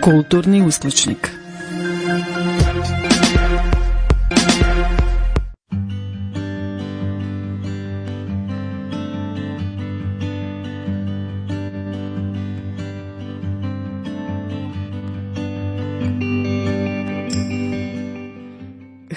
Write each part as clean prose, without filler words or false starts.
Kulturni uskličnik.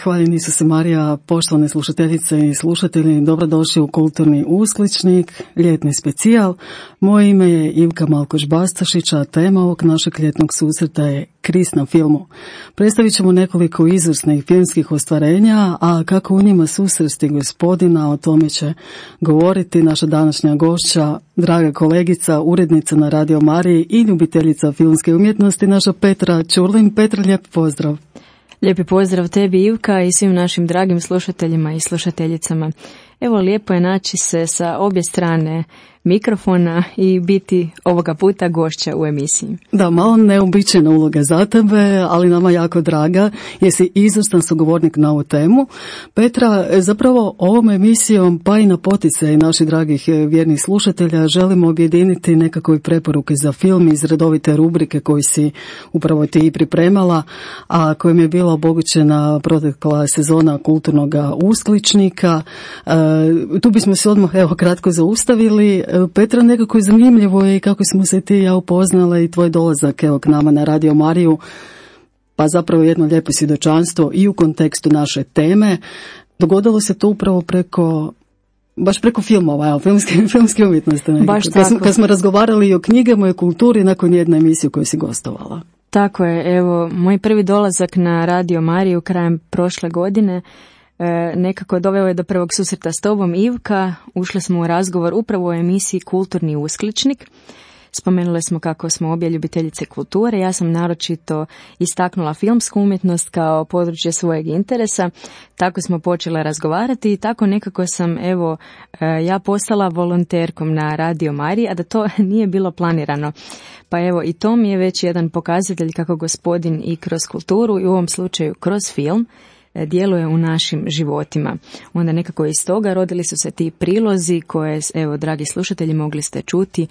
Hvala Isuse Marija, poštovane slušateljice i slušatelji, dobrodošli u Kulturni uskličnik, ljetni specijal. Moje ime je Ivka Malkoš-Bastašić, a tema ovog našeg ljetnog susreta je Krist na filmu. Predstavit ćemo nekoliko izvrsnih filmskih ostvarenja, a kako u njima susresti Gospodina, o tome će govoriti naša današnja gošća, draga kolegica, urednica na Radio Mariji i ljubiteljica filmske umjetnosti, naša Petra Ćurlin. Petra, lijep pozdrav. Lijepi pozdrav tebi, Ivka, i svim našim dragim slušateljima i slušateljicama. Evo, lijepo je naći se sa obje strane mikrofona i biti ovoga puta gošća u emisiji. Da, malo neobičajna uloga za tebe, ali nama jako draga, jer si izvrstan sugovornik na ovu temu. Petra, zapravo ovom emisijom, pa i na poticaj naših dragih vjernih slušatelja, želimo objediniti nekakve preporuke za film iz redovite rubrike koju si upravo ti i pripremala, a kojim je bila obogućena protekla sezona Kulturnog uskličnika. Tu bismo se odmah kratko zaustavili. Petra, nekako je zanimljivo i kako smo se ti i ja upoznale i tvoj dolazak k nama na Radio Mariju, pa zapravo jedno lijepo svjedočanstvo i u kontekstu naše teme. Dogodilo se to upravo baš preko filmova, filmske umjetnosti. Kad smo razgovarali i o knjigama i o kulturi nakon jedne emisije koju si gostovala. Tako je, evo, moj prvi dolazak na Radio Mariju krajem prošle godine nekako doveo je do prvog susreta s tobom, Ivka. Ušli smo u razgovor upravo o emisiji Kulturni uskličnik. Spomenuli smo kako smo obje ljubiteljice kulture. Ja sam naročito istaknula filmsku umjetnost kao područje svojeg interesa. Tako smo počele razgovarati i tako nekako sam, ja postala volonterkom na Radio Mariji, a da to nije bilo planirano. Pa evo, i to mi je već jedan pokazatelj kako Gospodin i kroz kulturu i u ovom slučaju kroz film djeluje u našim životima. Onda nekako iz toga rodili su se ti prilozi koje, evo, dragi slušatelji, mogli ste čuti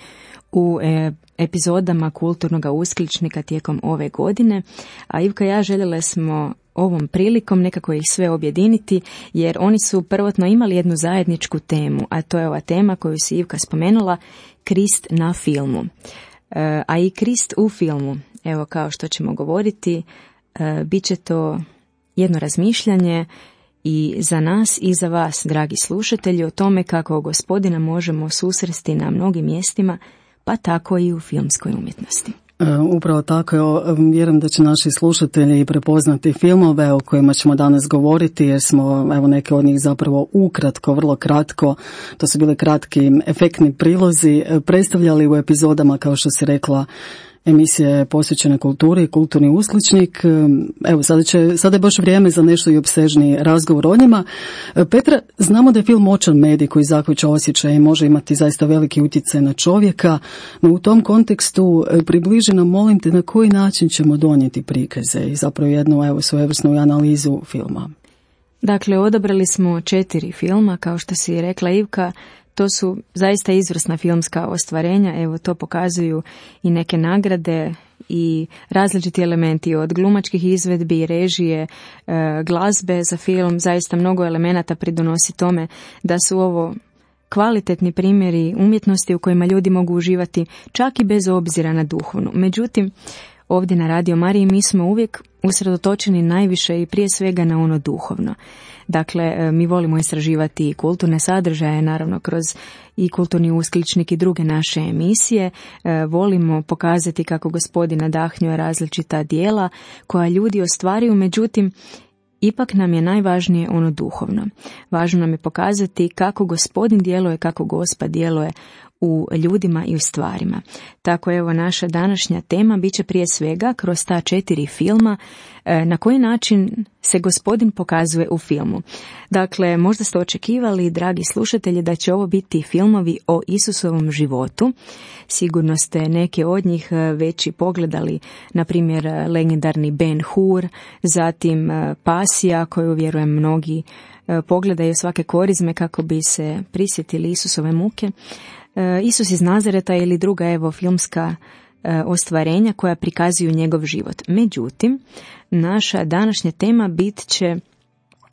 u epizodama Kulturnog uskličnika tijekom ove godine. A Ivka i ja željele smo ovom prilikom nekako ih sve objediniti, jer oni su prvotno imali jednu zajedničku temu, a to je ova tema koju si Ivka spomenula, Krist na filmu. A i Krist u filmu, evo, kao što ćemo govoriti, bit će to jedno razmišljanje i za nas i za vas, dragi slušatelji, o tome kako Gospodina možemo susresti na mnogim mjestima, pa tako i u filmskoj umjetnosti. Upravo tako, vjerujem da će naši slušatelji prepoznati filmove o kojima ćemo danas govoriti, jer smo, neke od njih zapravo ukratko, vrlo kratko, to su bile kratki efektni prilozi, predstavljali u epizodama, kao što si rekla, emisija je posvećena kulturi, Kulturni uskličnik. Evo, sada je baš vrijeme za nešto i opsežniji razgovor o njima. Petra, znamo da je film moćan medij koji zahvaća osjećaje i može imati zaista veliki utjecaj na čovjeka, no u tom kontekstu približi nam, molim te, na koji način ćemo donijeti prikaze i zapravo jednu svojevrsnu analizu filma. Dakle, odabrali smo 4 filma, kao što si rekla, Ivka. To su zaista izvrsna filmska ostvarenja, evo, to pokazuju i neke nagrade i različiti elementi od glumačkih izvedbi, režije, glazbe za film. Zaista mnogo elemenata pridonosi tome da su ovo kvalitetni primjeri umjetnosti u kojima ljudi mogu uživati čak i bez obzira na duhovnu. Međutim, ovdje na Radio Mariji mi smo uvijek usredotočeni najviše i prije svega na ono duhovno. Dakle, mi volimo istraživati kulturne sadržaje, naravno kroz i Kulturni uskličnik i druge naše emisije. Volimo pokazati kako Gospodin nadahnjuje različita djela koja ljudi ostvaruju, međutim, ipak nam je najvažnije ono duhovno. Važno nam je pokazati kako Gospodin djeluje, kako Gospa djeluje u ljudima i u stvarima. Tako, evo, naša današnja tema bit će prije svega kroz ta 4 filma na koji način se Gospodin pokazuje u filmu. Dakle, možda ste očekivali, dragi slušatelji, da će ovo biti filmovi o Isusovom životu. Sigurno ste neke od njih već i pogledali, na primjer legendarni Ben Hur, zatim Pasija, koju vjerujem mnogi pogledaju svake korizme kako bi se prisjetili Isusove muke. Isus iz Nazareta ili druga, evo, filmska ostvarenja koja prikazuju njegov život. Međutim, naša današnja tema bit će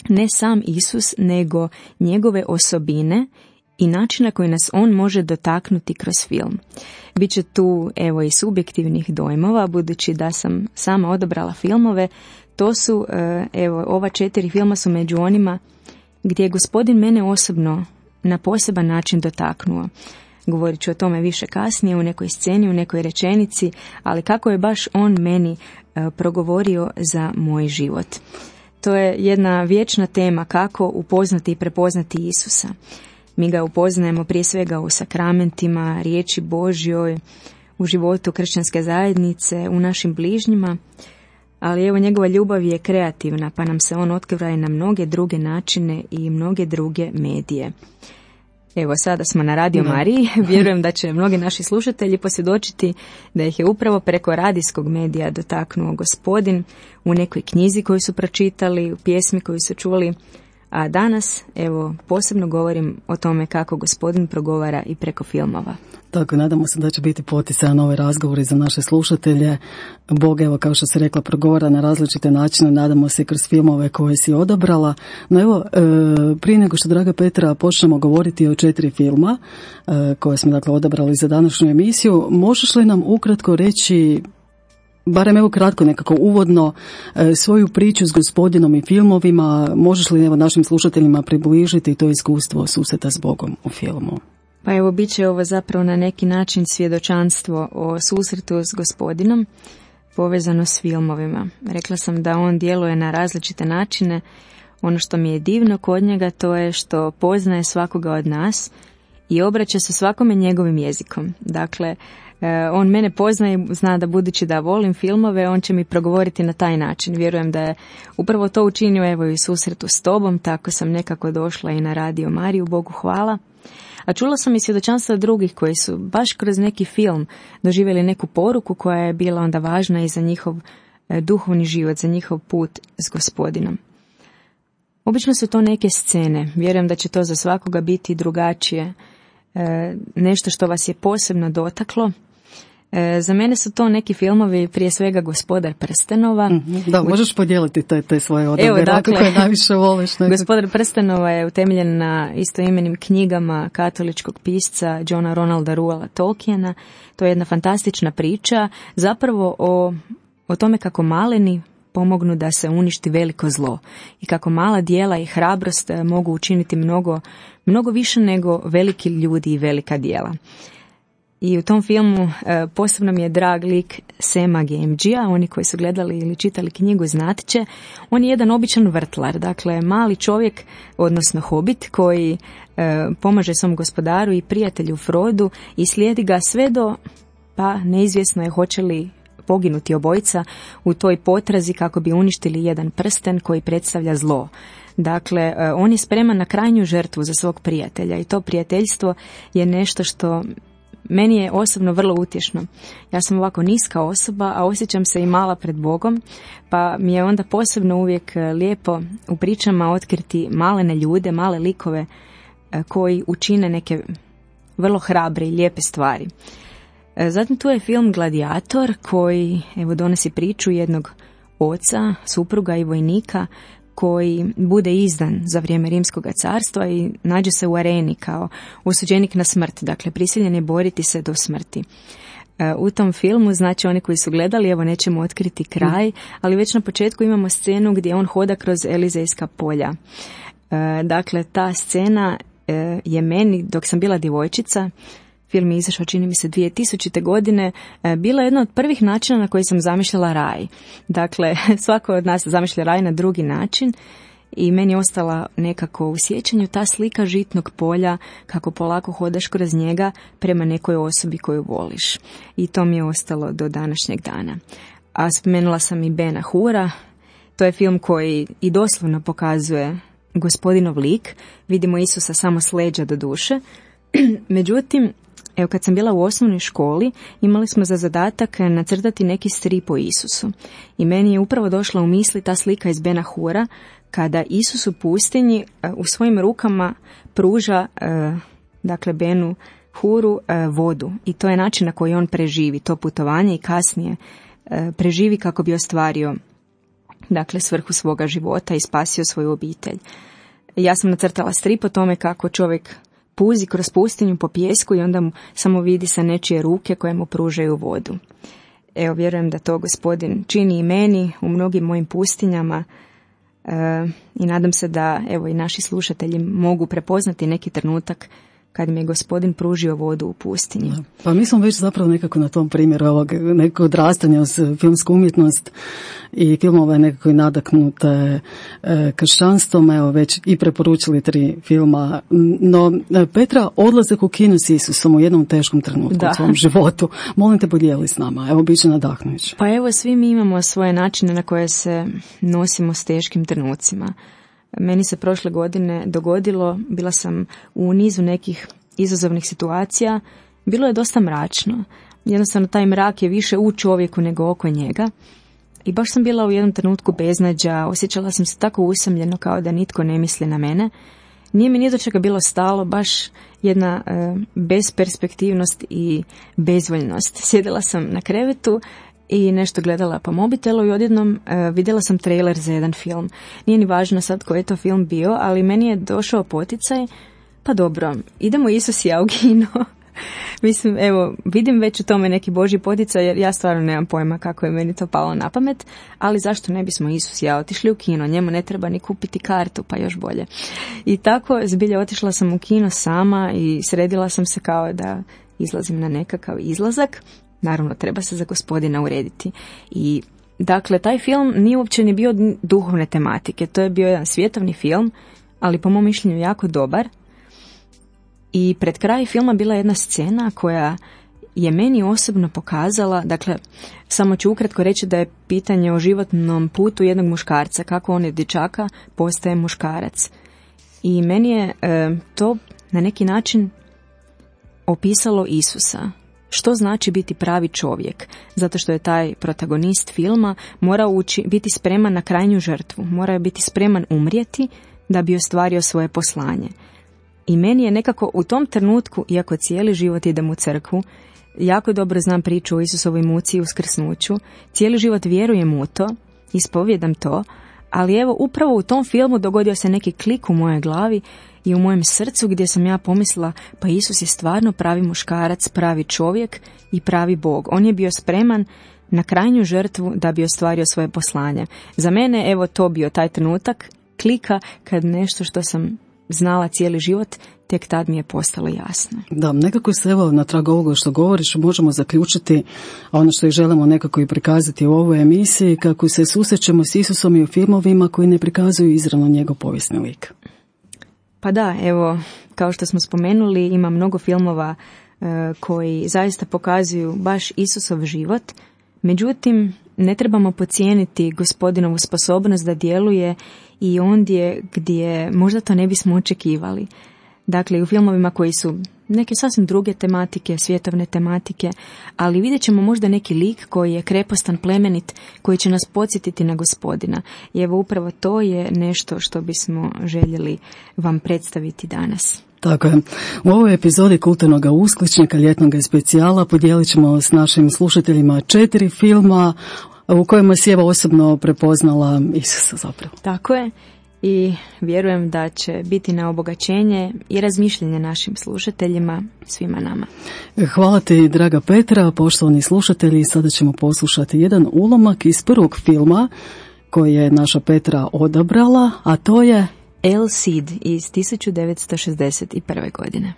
ne sam Isus, nego njegove osobine i način na koji nas on može dotaknuti kroz film. Biće tu evo i subjektivnih dojmova, budući da sam sama odabrala filmove. To su, evo, ova 4 filma su među onima gdje je Gospodin mene osobno na poseban način dotaknuo. Govorit ću o tome više kasnije, u nekoj sceni, u nekoj rečenici, ali kako je baš on meni progovorio za moj život. To je jedna vječna tema, kako upoznati i prepoznati Isusa. Mi ga upoznajemo prije svega u sakramentima, riječi Božjoj, u životu kršćanske zajednice, u našim bližnjima, ali evo njegova ljubav je kreativna, pa nam se on otkriva i na mnoge druge načine i mnoge druge medije. Evo, sada smo na Radio Mariji. Vjerujem da će mnogi naši slušatelji posvjedočiti da ih je upravo preko radijskog medija dotaknuo Gospodin u nekoj knjizi koju su pročitali, u pjesmi koju su čuli. A danas, evo, posebno govorim o tome kako Gospodin progovara i preko filmova. Tako, nadamo se da će biti poticajan ovaj razgovor za naše slušatelje. Bog, evo, kao što si rekla, progovara na različite načine, nadamo se kroz filmove koje si odabrala. No evo, prije nego što, draga Petra, počnemo govoriti o 4 filma koje smo, dakle, odabrali za današnju emisiju, možeš li nam ukratko reći, barem evo kratko, nekako uvodno, svoju priču s Gospodinom i filmovima, možeš li evo našim slušateljima približiti to iskustvo susreta s Bogom u filmu? Pa evo, bit će ovo zapravo na neki način svjedočanstvo o susretu s Gospodinom povezano s filmovima. Rekla sam da on djeluje na različite načine. Ono što mi je divno kod njega to je što poznaje svakoga od nas i obraća se svakome njegovim jezikom. Dakle, on mene poznaje i zna da budući da volim filmove, on će mi progovoriti na taj način. Vjerujem da je upravo to učinio evo i susretu s tobom, tako sam nekako došla i na Radio Mariju, Bogu hvala. A čula sam i svjedočanstva drugih koji su baš kroz neki film doživjeli neku poruku koja je bila onda važna i za njihov duhovni život, za njihov put s Gospodinom. Obično su to neke scene, vjerujem da će to za svakoga biti drugačije, nešto što vas je posebno dotaklo. Za mene su to neki filmovi, prije svega Gospodar prstenova. Da, možeš podijeliti te svoje odabere, dakle, koje najviše voliš. Nekako. Gospodar prstenova je utemeljen na istoimenim knjigama katoličkog pisca Johna Ronalda Reuela Tolkiena. To je jedna fantastična priča, zapravo o tome kako maleni pomognu da se uništi veliko zlo i kako mala djela i hrabrost mogu učiniti mnogo više nego veliki ljudi i velika djela. I u tom filmu posebno mi je drag lik Sema Gamgea, oni koji su gledali ili čitali knjigu znat će. On je jedan običan vrtlar, dakle mali čovjek, odnosno hobit, koji pomaže svom gospodaru i prijatelju Frodu i slijedi ga sve do, pa neizvjesno je hoće li poginuti obojica u toj potrazi kako bi uništili jedan prsten koji predstavlja zlo. Dakle, on je spreman na krajnju žrtvu za svog prijatelja i to prijateljstvo je nešto što meni je osobno vrlo utješno. Ja sam ovako niska osoba, a osjećam se i mala pred Bogom, pa mi je onda posebno uvijek lijepo u pričama otkriti malene ljude, male likove koji učine neke vrlo hrabre i lijepe stvari. Zatim tu je film Gladiator koji evo donosi priču jednog oca, supruga i vojnika koji bude izdan za vrijeme Rimskog carstva i nađe se u areni kao osuđenik na smrt, dakle prisiljen je boriti se do smrti. U tom filmu, znači oni koji su gledali, evo nećemo otkriti kraj, ali već na početku imamo scenu gdje on hoda kroz Elizejska polja. Dakle, ta scena je meni, dok sam bila djevojčica, film je izašao, čini mi se, 2000. godine, bila jedna od prvih načina na koji sam zamišljala raj. Dakle, svako od nas zamišlja raj na drugi način i meni je ostala nekako u sjećanju ta slika žitnog polja, kako polako hodaš kroz njega prema nekoj osobi koju voliš. I to mi je ostalo do današnjeg dana. A spomenula sam i Bena Hura, to je film koji i doslovno pokazuje Gospodinov lik, vidimo Isusa samo s leđa do duše. Međutim, evo kad sam bila u osnovnoj školi, imali smo za zadatak nacrtati neki strip o Isusu. I meni je upravo došla u misli ta slika iz Bena Hura, kada Isus u pustinji u svojim rukama pruža, dakle, Benu Huru vodu i to je način na koji on preživi to putovanje i kasnije preživi kako bi ostvario dakle svrhu svoga života i spasio svoju obitelj. Ja sam nacrtala strip o tome kako čovjek puzi kroz pustinju po pijesku i onda mu samo vidi sa nečije ruke koje mu pružaju vodu. Evo, vjerujem da to Gospodin čini i meni u mnogim mojim pustinjama i nadam se da evo i naši slušatelji mogu prepoznati neki trenutak kad mi je Gospodin pružio vodu u pustinji. Pa mi smo već zapravo nekako na tom primjeru ovog nekog odrastanja uz filmsku umjetnost i filmove nekako nadaknute kršćanstvom, evo već i preporučili 3 filma. No, Petra, odlazak u kino s Isusom u jednom teškom trenutku u svom životu. Molim te, podijeli s nama, evo bit će nadahnujuće. Pa evo, svi mi imamo svoje načine na koje se nosimo s teškim trenucima. Meni se prošle godine dogodilo, bila sam u nizu nekih izazovnih situacija, bilo je dosta mračno. Jednostavno taj mrak je više u čovjeku nego oko njega. I baš sam bila u jednom trenutku beznađa, osjećala sam se tako usamljeno kao da nitko ne misli na mene. Nije mi ni do čega bilo stalo, baš jedna besperspektivnost i bezvoljnost. Sjedila sam na krevetu i nešto gledala po mobitelu i odjednom vidjela sam trailer za jedan film. Nije ni važno sad koji je to film bio, ali meni je došao poticaj, pa dobro, idemo Isus i ja u kino. Mislim, evo, vidim već u tome neki Božji poticaj, jer ja stvarno nemam pojma kako je meni to palo na pamet, ali zašto ne bismo Isus i ja otišli u kino, njemu ne treba ni kupiti kartu, pa još bolje. I tako, zbilja, otišla sam u kino sama i sredila sam se kao da izlazim na nekakav izlazak. Naravno, treba se za Gospodina urediti. I, dakle, taj film nije uopće ni bio duhovne tematike. To je bio jedan svjetovni film, ali po mom mišljenju jako dobar. I pred kraj filma bila jedna scena koja je meni osobno pokazala, dakle, samo ću ukratko reći da je pitanje o životnom putu jednog muškarca, kako on je dječaka postaje muškarac. I meni je to na neki način opisalo Isusa. Što znači biti pravi čovjek? Zato što je taj protagonist filma morao biti spreman na krajnju žrtvu, morao biti spreman umrijeti da bi ostvario svoje poslanje. I meni je nekako u tom trenutku, iako cijeli život idem u crkvu, jako dobro znam priču o Isusovoj muci i uskrsnuću, cijeli život vjerujem u to, ispovjedam to, ali evo upravo u tom filmu dogodio se neki klik u mojoj glavi i u mojem srcu gdje sam ja pomislila, pa Isus je stvarno pravi muškarac, pravi čovjek i pravi Bog. On je bio spreman na krajnju žrtvu da bi ostvario svoje poslanje. Za mene, evo, to bio taj trenutak klika kad nešto što sam znala cijeli život, tek tad mi je postalo jasno. Da, nekako se evo na tragu ovoga što govoriš možemo zaključiti ono što ih želimo nekako i prikazati u ovoj emisiji, kako se susrećemo s Isusom i u filmovima koji ne prikazuju izravno njegov povijesni lik. Pa da, evo, kao što smo spomenuli, ima mnogo filmova koji zaista pokazuju baš Isusov život, međutim, ne trebamo podcijeniti Gospodinovu sposobnost da djeluje i ondje gdje možda to ne bismo očekivali. Dakle, u filmovima koji su neke sasvim druge tematike, svjetovne tematike, ali vidjet ćemo možda neki lik koji je krepostan, plemenit, koji će nas podsjetiti na Gospodina. I evo upravo to je nešto što bismo željeli vam predstaviti danas. Tako je. U ovoj epizodi Kulturnog uskličnika ljetnog specijala podijelit ćemo s našim slušateljima 4 filma u kojima si evo osobno prepoznala Isusa zapravo. Tako je. I vjerujem da će biti na obogaćenje i razmišljanje našim slušateljima, svima nama. Hvala ti, draga Petra, poštovani slušatelji. Sada ćemo poslušati jedan ulomak iz prvog filma koji je naša Petra odabrala, a to je El Cid iz 1961. godine.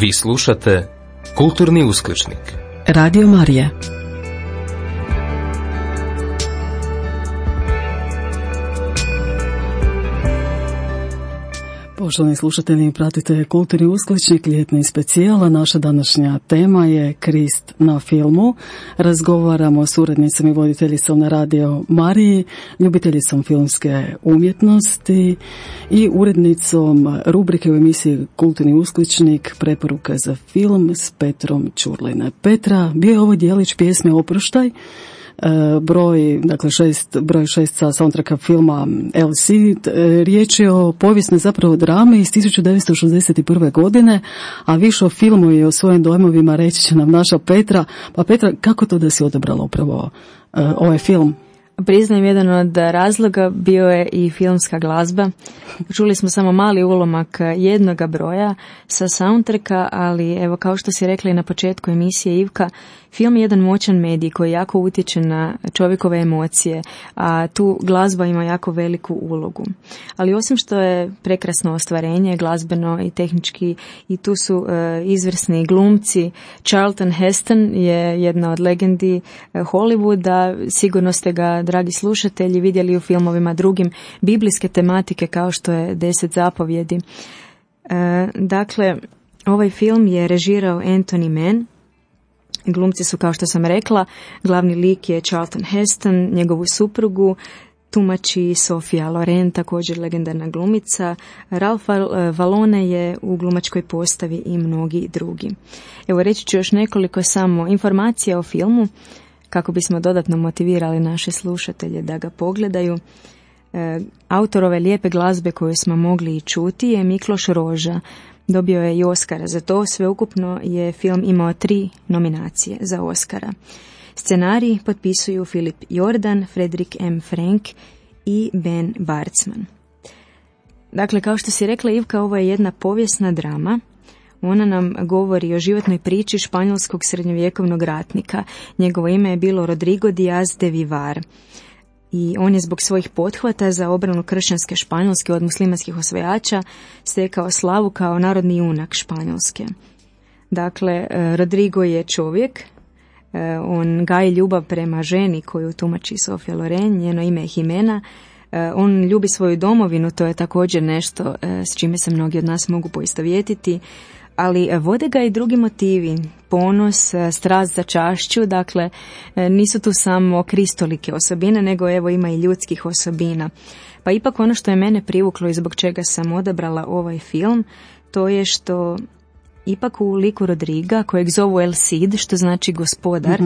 Vi slušate Kulturni uskličnik. Radio Marija. Poštovani slušatelji, pratite Kulturni uskličnik, ljetni specijal, a naša današnja tema je Krist na filmu. Razgovaramo s urednicom i voditeljicom na Radio Mariji, ljubiteljicom filmske umjetnosti i urednicom rubrike u emisiji Kulturni uskličnik Preporuka za film s Petrom Ćurline. Petra, bio je ovo dijelić pjesme Oproštaj, broj 6 sa soundtracka filma LC. Riječ je o povijesnoj zapravo drami iz 1961. godine, a više o filmu i o svojim dojmovima reći će nam naša Petra. Pa Petra, kako to da si odabrala upravo ovaj film? Priznajem, jedan od razloga bio je i filmska glazba. Čuli smo samo mali ulomak jednoga broja sa soundtracka, ali evo, kao što si rekla i na početku emisije, Ivka, film je jedan moćan medij koji jako utječe na čovjekove emocije, a tu glazba ima jako veliku ulogu. Ali osim što je prekrasno ostvarenje, glazbeno i tehnički, i tu su izvrsni glumci. Charlton Heston je jedna od legendi Hollywooda, sigurno ste ga, dragi slušatelji, vidjeli u filmovima drugim biblijske tematike kao što je 10 zapovjedi. Dakle, ovaj film je režirao Anthony Mann. Glumci su, kao što sam rekla, glavni lik je Charlton Heston, njegovu suprugu tumači Sofia Loren, također legendarna glumica, Ralph Valone je u glumačkoj postavi i mnogi drugi. Evo, reći ću još nekoliko samo informacija o filmu kako bismo dodatno motivirali naše slušatelje da ga pogledaju. Autor ove lijepe glazbe koju smo mogli i čuti je Mikloš Roža. Dobio je i Oscara za to. Sveukupno je film imao 3 nominacije za Oscara. Scenarij potpisuju Filip Jordan, Fredrik M. Frank i Ben Bartsman. Dakle, kao što si rekla, Ivka, ovo je jedna povijesna drama. Ona nam govori o životnoj priči španjolskog srednjovjekovnog ratnika. Njegovo ime je bilo Rodrigo Díaz de Vivar. I on je zbog svojih pothvata za obranu kršćanske Španjolske od muslimanskih osvajača stekao slavu kao narodni junak Španjolske. Dakle, Rodrigo je čovjek, on gaji ljubav prema ženi koju tumači Sofia Loren, njeno ime je Jimena. On ljubi svoju domovinu, to je također nešto s čime se mnogi od nas mogu poistovjetiti, ali vode ga i drugi motivi, ponos, strast za čašću, dakle nisu tu samo kristolike osobine, nego evo ima i ljudskih osobina. Pa ipak ono što je mene privuklo i zbog čega sam odabrala ovaj film, to je što ipak u liku Rodriga, kojeg zovu El Cid, što znači gospodar,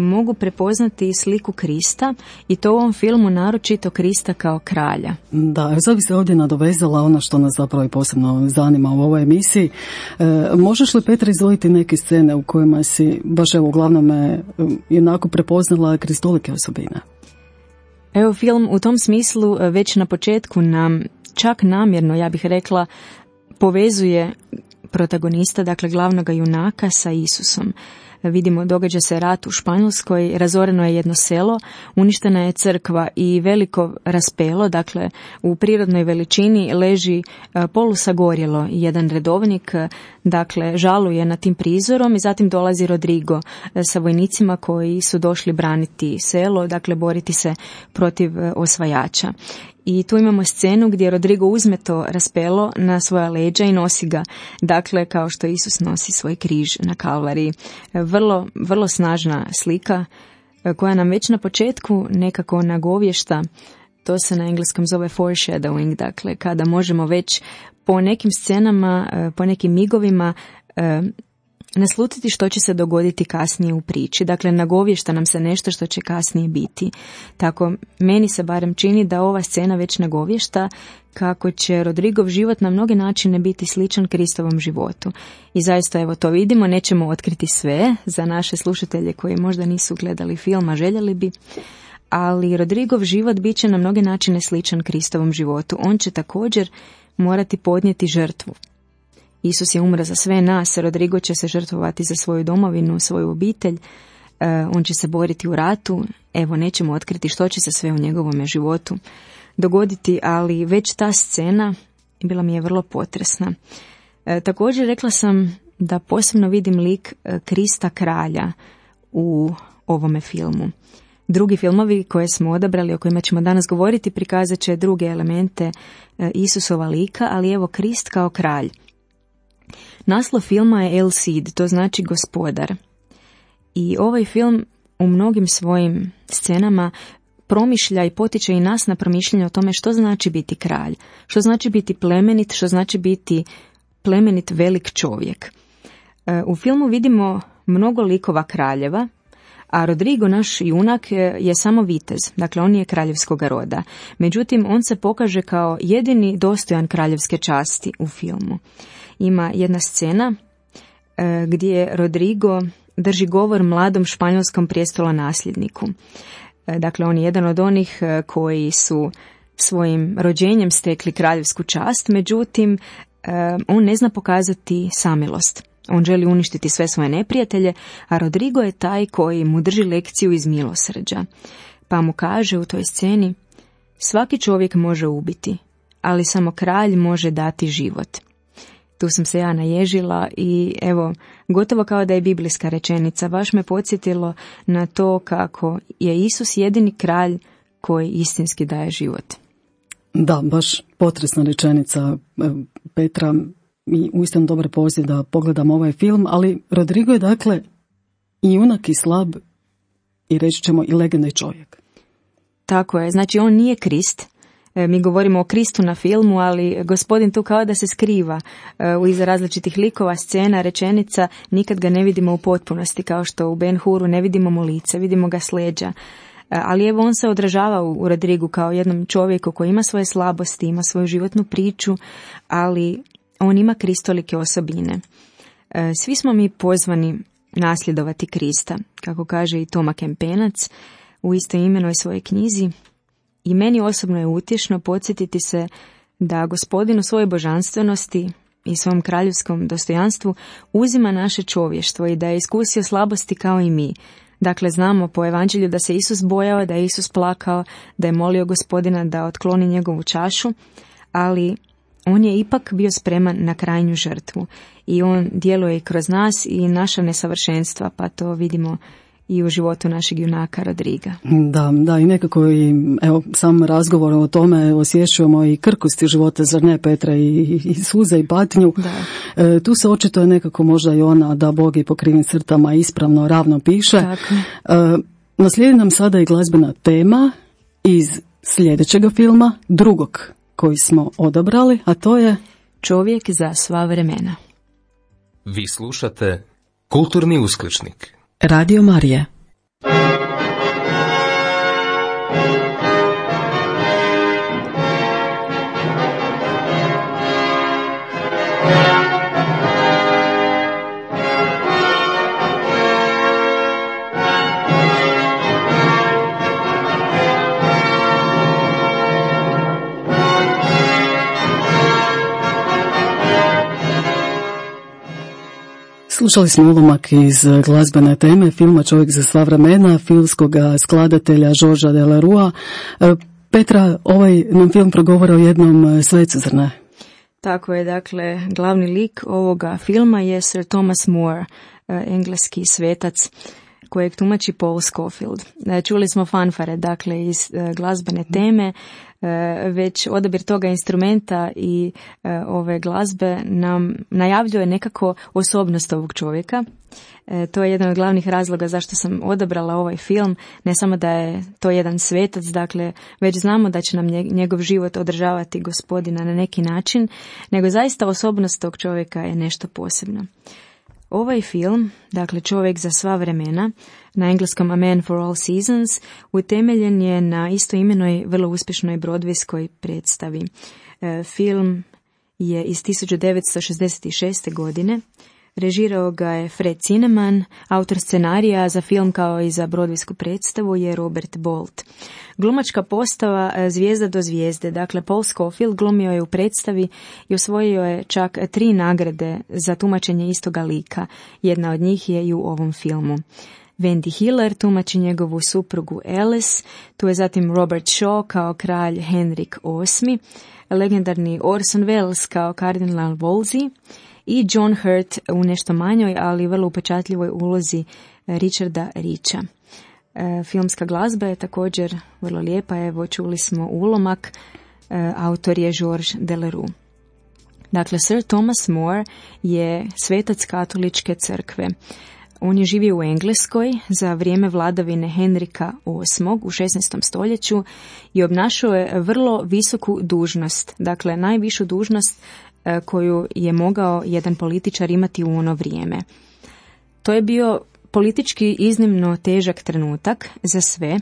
mogu prepoznati sliku Krista, i to u ovom filmu naročito Krista kao kralja. Da, sad bi se ovdje nadovezala ono što nas zapravo i posebno zanima u ovoj emisiji. Možeš li, Petra, izdvojiti neke scene u kojima si baš evo uglavnom jednako prepoznala kristolike osobine? Evo, film u tom smislu već na početku nam čak namjerno, ja bih rekla, povezuje protagonista, dakle glavnog junaka, sa Isusom. Vidimo, događa se rat u Španjolskoj, razoreno je jedno selo, uništena je crkva i veliko raspelo, dakle u prirodnoj veličini leži polusagorjelo. Jedan redovnik, dakle, žaluje nad tim prizorom i zatim dolazi Rodrigo sa vojnicima koji su došli braniti selo, dakle boriti se protiv osvajača. I tu imamo scenu gdje Rodrigo uzme to raspelo na svoja leđa i nosi ga, dakle kao što Isus nosi svoj križ na Kalvariji. Vrlo snažna slika koja nam već na početku nekako nagovješta, to se na engleskom zove foreshadowing, dakle kada možemo već po nekim scenama, po nekim migovima naslutiti što će se dogoditi kasnije u priči. Dakle, nagovješta nam se nešto što će kasnije biti. Tako, meni se barem čini da ova scena već nagovješta kako će Rodrigov život na mnoge načine biti sličan Kristovom životu. I zaista, evo, to vidimo, nećemo otkriti sve za naše slušatelje koji možda nisu gledali film, a željeli bi, ali Rodrigov život bit će na mnoge načine sličan Kristovom životu. On će također morati podnijeti žrtvu. Isus je umro za sve nas, Rodrigo će se žrtvovati za svoju domovinu, svoju obitelj, on će se boriti u ratu, evo, nećemo otkriti što će se sve u njegovome životu dogoditi, ali već ta scena bila mi je vrlo potresna. Također rekla sam da posebno vidim lik Krista kralja u ovome filmu. Drugi filmovi koje smo odabrali, o kojima ćemo danas govoriti, prikazat će druge elemente Isusova lika, ali evo Krist kao kralj. Naslov filma je El Cid, to znači gospodar. I ovaj film u mnogim svojim scenama promišlja i potiče i nas na promišljanje o tome što znači biti kralj, što znači biti plemenit, što znači biti plemenit velik čovjek. U filmu vidimo mnogo likova kraljeva, a Rodrigo, naš junak, je samo vitez, dakle on je kraljevskog roda. Međutim, on se pokaže kao jedini dostojan kraljevske časti u filmu. Ima jedna scena gdje Rodrigo drži govor mladom španjolskom prijestolonasljedniku. Dakle, on je jedan od onih koji su svojim rođenjem stekli kraljevsku čast, međutim, on ne zna pokazati samilost. On želi uništiti sve svoje neprijatelje, a Rodrigo je taj koji mu drži lekciju iz milosrđa. Pa mu kaže u toj sceni: svaki čovjek može ubiti, ali samo kralj može dati život. Tu sam se ja naježila i evo, gotovo kao da je biblijska rečenica, baš me podsjetilo na to kako je Isus jedini kralj koji istinski daje život. Da, baš potresna rečenica Petra i uistinu dobar poziv da pogledam ovaj film, ali Rodrigo je dakle i junak i slab i reći ćemo i legendni čovjek. Tako je, znači on nije Krist. Mi govorimo o Kristu na filmu, ali gospodin tu kao da se skriva iza različitih likova, scena, rečenica, nikad ga ne vidimo u potpunosti, kao što u Ben Huru ne vidimo mu lice, vidimo ga s leđa. Ali evo on se odražava u Rodrigu kao jednom čovjeku koji ima svoje slabosti, ima svoju životnu priču, ali on ima kristolike osobine. Svi smo mi pozvani nasljedovati Krista, kako kaže i Toma Kempenac u istoimenoj svojoj knjizi. I meni osobno je utješno podsjetiti se da gospodin u svojoj božanstvenosti i svom kraljevskom dostojanstvu uzima naše čovještvo i da je iskusio slabosti kao i mi. Dakle, znamo po evanđelju da se Isus bojao, da je Isus plakao, da je molio gospodina da otkloni njegovu čašu, ali on je ipak bio spreman na krajnju žrtvu i on djeluje i kroz nas i naša nesavršenstva, pa to vidimo i u životu našeg junaka Rodriga. Da, i nekako i evo, sam razgovor o tome osjećujemo i krkosti života, zar ne, Petra, i suze i patnju. Tu se očito je nekako možda i ona da Bog i po krivim crtama ispravno, ravno piše. Naslijedi nam sada i glazbena tema iz sljedećega filma, drugog koji smo odabrali, a to je Čovjek za sva vremena. Vi slušate Kulturni uskličnik. Radio Marija. Slušali smo ulomak iz glazbene teme filma Čovjek za sva vremena, filmskog skladatelja Georgesa Delerua. Petra, ovaj nam film progovara o jednom svecu, zar ne? Tako je, dakle, glavni lik ovoga filma je Sir Thomas More, engleski svetac kojeg tumači Paul Scofield. Čuli smo fanfare, dakle, iz glazbene teme, već odabir toga instrumenta i ove glazbe nam najavljuje nekako osobnost ovog čovjeka. To je jedan od glavnih razloga zašto sam odabrala ovaj film, ne samo da je to jedan svetac, dakle, već znamo da će nam njegov život održavati gospodina na neki način, nego zaista osobnost tog čovjeka je nešto posebno. Ovaj film, dakle Čovjek za sva vremena, na engleskom A Man for All Seasons, utemeljen je na istoimenoj vrlo uspješnoj broadwayskoj predstavi. Film je iz 1966. godine. Režirao ga je Fred Zinnemann, autor scenarija za film kao i za broadwaysku predstavu je Robert Bolt. Glumačka postava zvijezda do zvijezde, dakle Paul Scofield glumio je u predstavi i osvojio je čak 3 nagrade za tumačenje istoga lika. Jedna od njih je i u ovom filmu. Wendy Hiller tumači njegovu suprugu Alice, tu je zatim Robert Shaw kao kralj Henrik VIII, legendarni Orson Welles kao kardinal Wolsey i John Hurt u nešto manjoj, ali vrlo upečatljivoj ulozi Richarda Richa. Filmska glazba je također vrlo lijepa, evo čuli smo ulomak, autor je Georges Delerue. Dakle, Sir Thomas More je svetac katoličke crkve. On je živio u Engleskoj za vrijeme vladavine Henrika VIII u 16. stoljeću i obnašao je vrlo visoku dužnost, dakle najvišu dužnost koju je mogao jedan političar imati u ono vrijeme. To je bio politički iznimno težak trenutak za sve,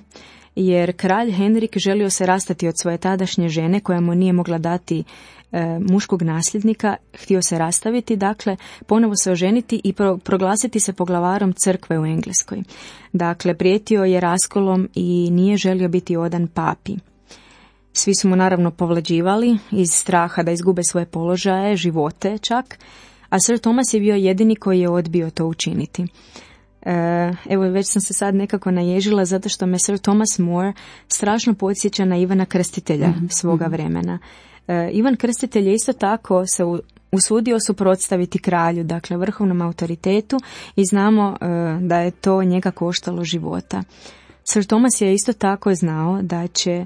jer kralj Henrik želio se rastati od svoje tadašnje žene koja mu nije mogla dati muškog nasljednika, htio se rastaviti, dakle ponovo se oženiti i proglasiti se poglavarom crkve u Engleskoj. Dakle, prijetio je raskolom i nije želio biti odan papi. Svi su mu naravno povlađivali iz straha da izgube svoje položaje, živote čak, a Sir Thomas je bio jedini koji je odbio to učiniti. Evo, već sam se sad nekako naježila zato što me Sir Thomas More strašno podsjeća na Ivana Krstitelja svoga vremena. Ivan Krstitelj je isto tako se usudio suprotstaviti kralju, dakle vrhovnom autoritetu, i znamo da je to njega koštalo života. Sir Thomas je isto tako znao da će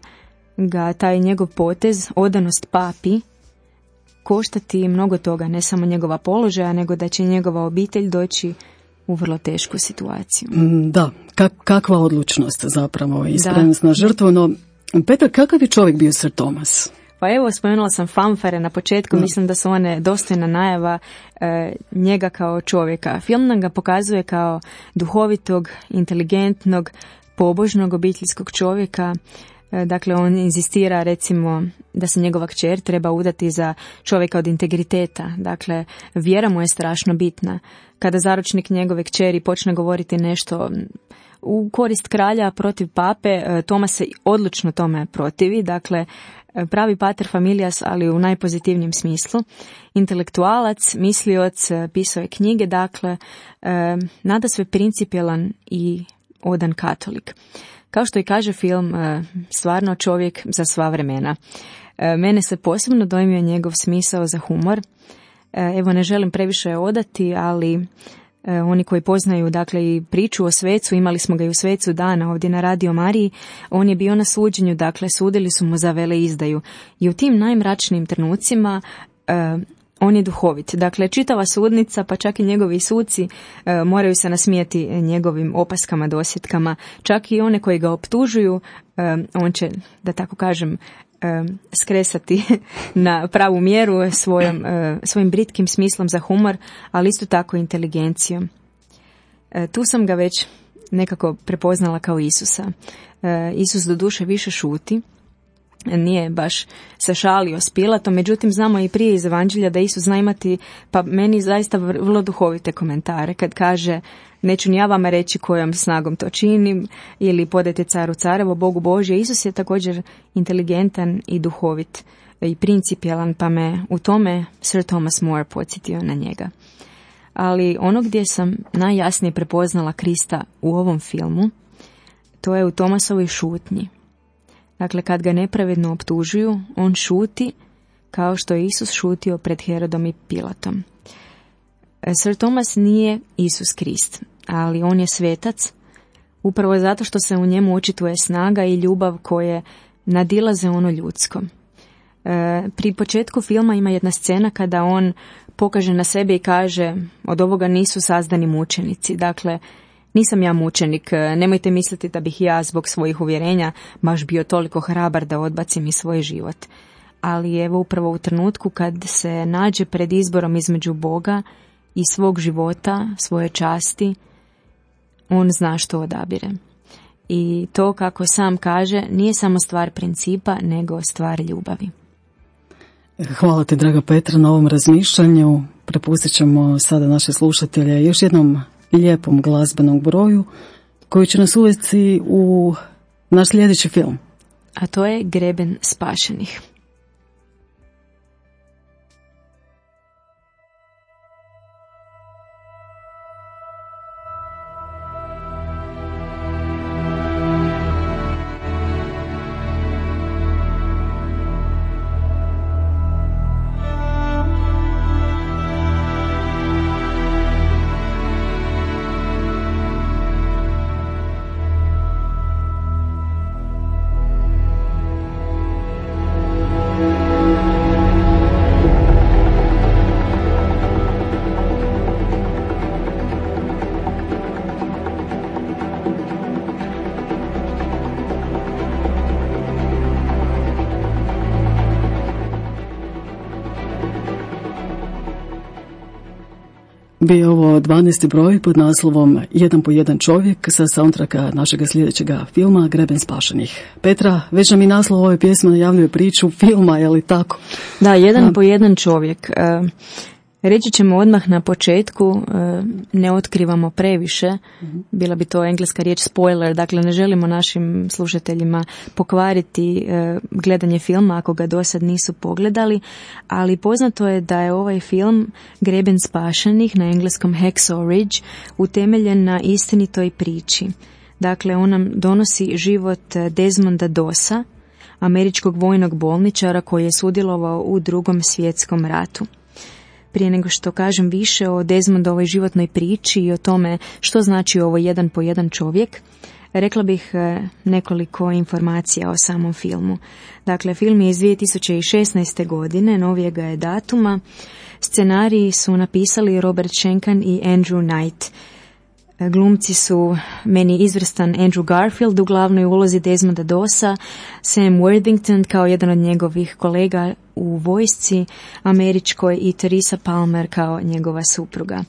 ga taj njegov potez, odanost papi, koštati mnogo toga, ne samo njegova položaja, nego da će njegova obitelj doći u vrlo tešku situaciju. Da, kakva odlučnost zapravo i spremnost na žrtvu. No, Petar, kakav je čovjek bio Sir Thomas? Pa evo, spomenula sam fanfare na početku, mislim da su one dostojna najava njega kao čovjeka. Film nam ga pokazuje kao duhovitog, inteligentnog, pobožnog obiteljskog čovjeka. Dakle, on inzistira recimo da se njegova kćer treba udati za čovjeka od integriteta. Dakle, vjera mu je strašno bitna. Kada zaručnik njegove kćeri počne govoriti nešto u korist kralja protiv pape, Thomas se odlučno tome protivi. Dakle, pravi pater familias, ali u najpozitivnijem smislu. Intelektualac, mislioc, pisao je knjige, dakle, nadasve principijelan i odan katolik. Kao što i kaže film, stvarno čovjek za sva vremena. Mene se posebno dojmio njegov smisao za humor. Evo, ne želim previše odati, ali oni koji poznaju, dakle, i priču o svecu, imali smo ga i u svecu dana ovdje na Radio Mariji, on je bio na suđenju, dakle, sudili su mu za veleizdaju. I u tim najmračnijim trenucima on je duhovit. Dakle, čitava sudnica, pa čak i njegovi suci moraju se nasmijeti njegovim opaskama, dosjetkama. Čak i one koji ga optužuju, on će, da tako kažem, skresati na pravu mjeru svojim britkim smislom za humor, ali isto tako inteligencijom. Tu sam ga već nekako prepoznala kao Isusa. Isus doduše više šuti, nije baš se šalio s Pilatom, međutim znamo i prije iz Evanđelja da Isus zna imati, pa meni zaista vrlo duhovite komentare kad kaže: neću ni ja vama reći kojom snagom to činim, ili podajte caru carevo, Bogu Božje. Isus je također inteligentan i duhovit i principijelan, pa me u tome Sir Thomas More podsjetio na njega. Ali ono gdje sam najjasnije prepoznala Krista u ovom filmu, to je u Thomasovoj šutnji. Dakle, kad ga nepravedno optužuju, on šuti kao što je Isus šutio pred Herodom i Pilatom. Sir Thomas nije Isus Krist, ali on je svetac, upravo zato što se u njemu očituje snaga i ljubav koje nadilaze ono ljudsko. Pri početku filma ima jedna scena kada on pokaže na sebe i kaže: od ovoga nisu sazdani mučenici. Dakle, nisam ja mučenik, nemojte misliti da bih ja zbog svojih uvjerenja baš bio toliko hrabar da odbacim i svoj život. Ali evo, upravo u trenutku kad se nađe pred izborom između Boga i svog života, svoje časti, on zna što odabire. I to, kako sam kaže, nije samo stvar principa, nego stvar ljubavi. Hvala ti, draga Petra, na ovom razmišljanju. Prepustit ćemo sada naše slušatelje još jednom lijepom glazbenom broju koji će nas uvesti u naš sljedeći film. A to je Greben spašenih. Bio ovo 12. broj pod naslovom Jedan po jedan čovjek sa soundtracka našega sljedećega filma Greben spašenih. Petra, već nam i naslov ove pjesme najavljuje priču filma, je li tako? Da, jedan po jedan čovjek. Reći ćemo odmah na početku, ne otkrivamo previše, bila bi to engleska riječ spoiler, dakle ne želimo našim slušateljima pokvariti gledanje filma ako ga dosad nisu pogledali, ali poznato je da je ovaj film Greben spašenih, na engleskom Hacksaw Ridge, utemeljen na istinitoj priči. Dakle, on nam donosi život Desmonda Dossa, američkog vojnog bolničara koji je sudjelovao u Drugom svjetskom ratu. Prije nego što kažem više o Desmondovoj životnoj priči i o tome što znači ovo jedan po jedan čovjek, rekla bih nekoliko informacija o samom filmu. Dakle, film je iz 2016. godine, novijega je datuma. Scenariji su napisali Robert Schenken i Andrew Knight. Glumci su meni izvrstan Andrew Garfield u glavnoj ulozi Desmonda Dossa, Sam Worthington kao jedan od njegovih kolega u vojsci američkoj i Teresa Palmer kao njegova supruga.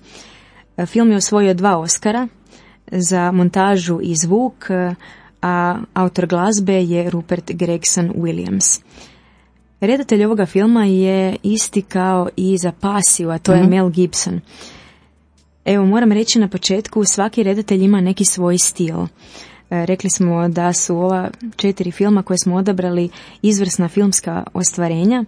Film je osvojio 2 Oscara za montažu i zvuk, a autor glazbe je Rupert Gregson Williams. Redatelj ovoga filma je isti kao i za Pasiju, a to je Mel Gibson. Evo, moram reći na početku, svaki redatelj ima neki svoj stil. Rekli smo da su ova 4 filma koje smo odabrali izvrsna filmska ostvarenja.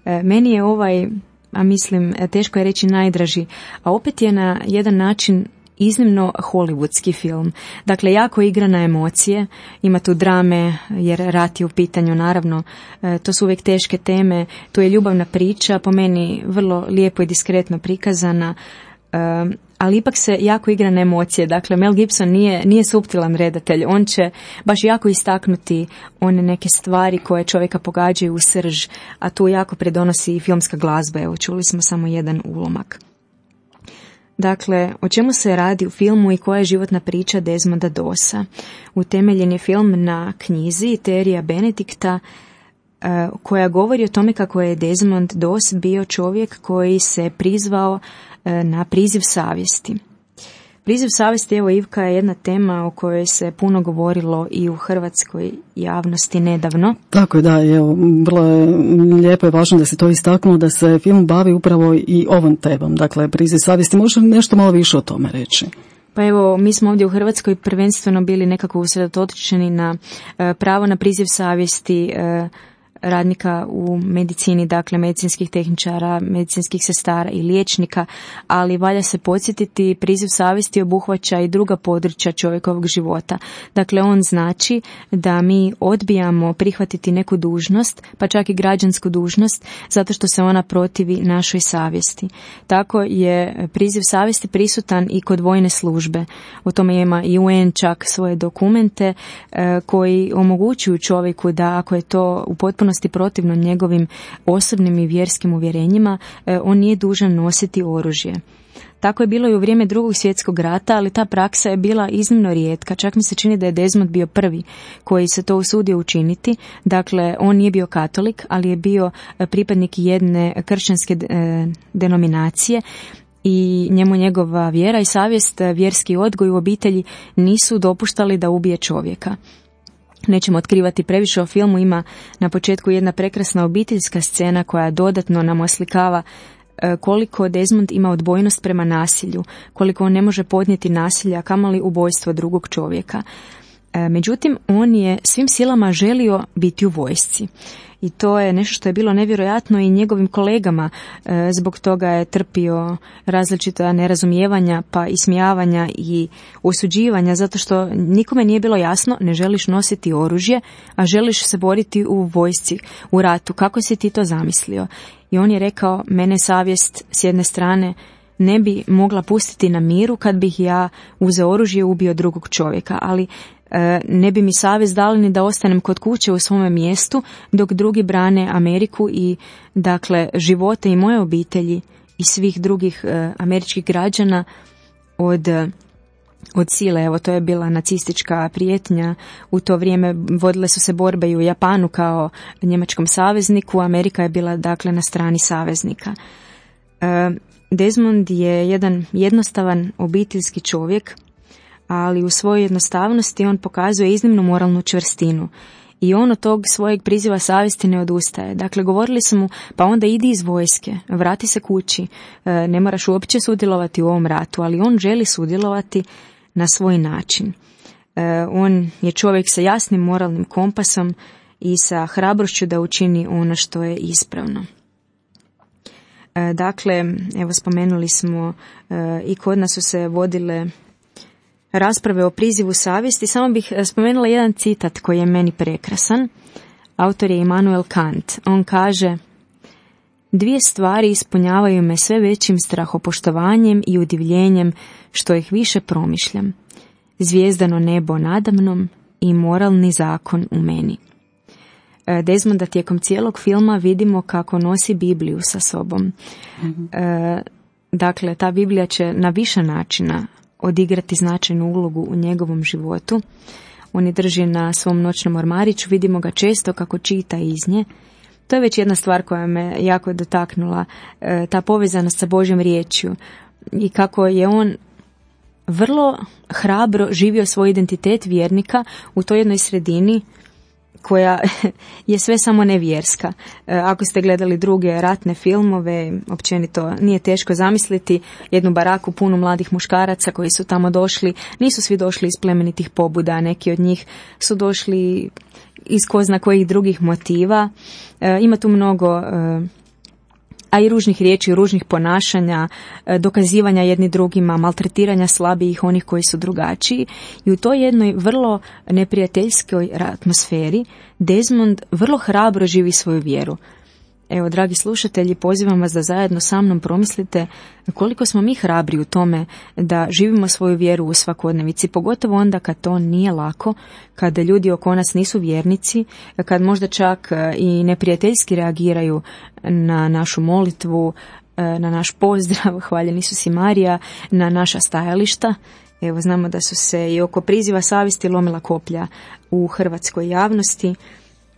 Meni je ovaj, a mislim, teško je reći najdraži, a opet je na jedan način iznimno hollywoodski film. Dakle, jako igra na emocije, ima tu drame jer rat je u pitanju, naravno, to su uvijek teške teme, tu je ljubavna priča, po meni vrlo lijepo i diskretno prikazana, ali ipak se jako igra na emocije. Dakle, Mel Gibson nije suptilan redatelj, on će baš jako istaknuti one neke stvari koje čovjeka pogađaju u srž, a tu jako pridonosi i filmska glazba. Evo, čuli smo samo jedan ulomak. Dakle, o čemu se radi u filmu i koja je životna priča Desmonda Dossa? Utemeljen je film na knjizi Terrya Benedicta, koja govori o tome kako je Desmond Doss bio čovjek koji se prizvao na priziv savjesti. Priziv savjesti, evo Ivka, je jedna tema o kojoj se puno govorilo i u hrvatskoj javnosti nedavno. Tako je, da, evo, vrlo je lijepo i važno da se to istaknulo, da se film bavi upravo i ovom temom, dakle priziv savjesti. Možeš nešto malo više o tome reći? Pa evo, mi smo ovdje u Hrvatskoj prvenstveno bili nekako usredotočeni na pravo na priziv savjesti radnika u medicini, dakle medicinskih tehničara, medicinskih sestara i liječnika, ali valja se podsjetiti, priziv savjesti obuhvaća i druga područja čovjekovog života. Dakle, on znači da mi odbijamo prihvatiti neku dužnost, pa čak i građansku dužnost, zato što se ona protivi našoj savjesti. Tako je priziv savjesti prisutan i kod vojne službe. O tome ima i UN čak svoje dokumente koji omogućuju čovjeku da, ako je to u potpunosti protivno njegovim osobnim i vjerskim uvjerenjima, on nije dužan nositi oružje. Tako je bilo i u vrijeme Drugog svjetskog rata, ali ta praksa je bila iznimno rijetka. Čak mi se čini da je Desmond bio prvi koji se to usudio učiniti. Dakle, on nije bio katolik, ali je bio pripadnik jedne kršćanske denominacije i njemu njegova vjera i savjest, vjerski odgoj u obitelji nisu dopuštali da ubije čovjeka. Nećemo otkrivati previše o filmu, ima na početku jedna prekrasna obiteljska scena koja dodatno nam oslikava koliko Desmond ima odbojnost prema nasilju, koliko on ne može podnijeti nasilja, kamoli ubojstvo drugog čovjeka. Međutim, on je svim silama želio biti u vojsci. I to je nešto što je bilo nevjerojatno i njegovim kolegama. Zbog toga je trpio različita nerazumijevanja, pa ismijavanja i osuđivanja, zato što nikome nije bilo jasno, ne želiš nositi oružje, a želiš se boriti u vojsci, u ratu. Kako si ti to zamislio? I on je rekao, mene savjest s jedne strane ne bi mogla pustiti na miru kad bih ja uzeo oružje i ubio drugog čovjeka, ali ne bi mi savjest dali ni da ostanem kod kuće u svome mjestu dok drugi brane Ameriku i, dakle, živote i moje obitelji i svih drugih američkih građana od sile. Evo, to je bila nacistička prijetnja. U to vrijeme vodile su se borbe i u Japanu kao njemačkom savezniku. Amerika je bila, dakle, na strani saveznika. Desmond je jedan jednostavan obiteljski čovjek, ali u svojoj jednostavnosti on pokazuje iznimnu moralnu čvrstinu. I on od tog svojeg priziva savjesti ne odustaje. Dakle, govorili su mu, pa onda idi iz vojske, vrati se kući, ne moraš uopće sudjelovati u ovom ratu, ali on želi sudjelovati na svoj način. On je čovjek sa jasnim moralnim kompasom i sa hrabrošću da učini ono što je ispravno. Dakle, evo spomenuli smo i kod nas su se vodile rasprave o prizivu savjesti. Samo bih spomenula jedan citat koji je meni prekrasan. Autor je Immanuel Kant. On kaže: "Dvije stvari ispunjavaju me sve većim strahopoštovanjem i udivljenjem što ih više promišljam. Zvijezdano nebo nadamnom i moralni zakon u meni." Desmonda tijekom cijelog filma vidimo kako nosi Bibliju sa sobom. Dakle, ta Biblija će na više načina odigrati značajnu ulogu u njegovom životu. On je drži na svom noćnom ormariću, vidimo ga često kako čita iz nje. To je već jedna stvar koja me jako dotaknula, ta povezanost sa Božjom riječju i kako je on vrlo hrabro živio svoj identitet vjernika u toj jednoj sredini koja je sve samo nevjerska. Ako ste gledali druge ratne filmove, općenito nije teško zamisliti jednu baraku punu mladih muškaraca koji su tamo došli. Nisu svi došli iz plemenitih pobuda, neki od njih su došli iz ko zna kojih drugih motiva. Ima tu mnogo a i ružnih riječi, ružnih ponašanja, dokazivanja jedni drugima, maltretiranja slabijih, onih koji su drugačiji. I u toj jednoj vrlo neprijateljskoj atmosferi Desmond vrlo hrabro živi svoju vjeru. Evo, dragi slušatelji, pozivam vas da zajedno sa mnom promislite koliko smo mi hrabri u tome da živimo svoju vjeru u svakodnevici, pogotovo onda kad to nije lako, kada ljudi oko nas nisu vjernici, kad možda čak i neprijateljski reagiraju na našu molitvu, na naš pozdrav, hvaljen Isus i Marija, na naša stajališta. Evo, znamo da su se i oko priziva savjesti lomila koplja u hrvatskoj javnosti.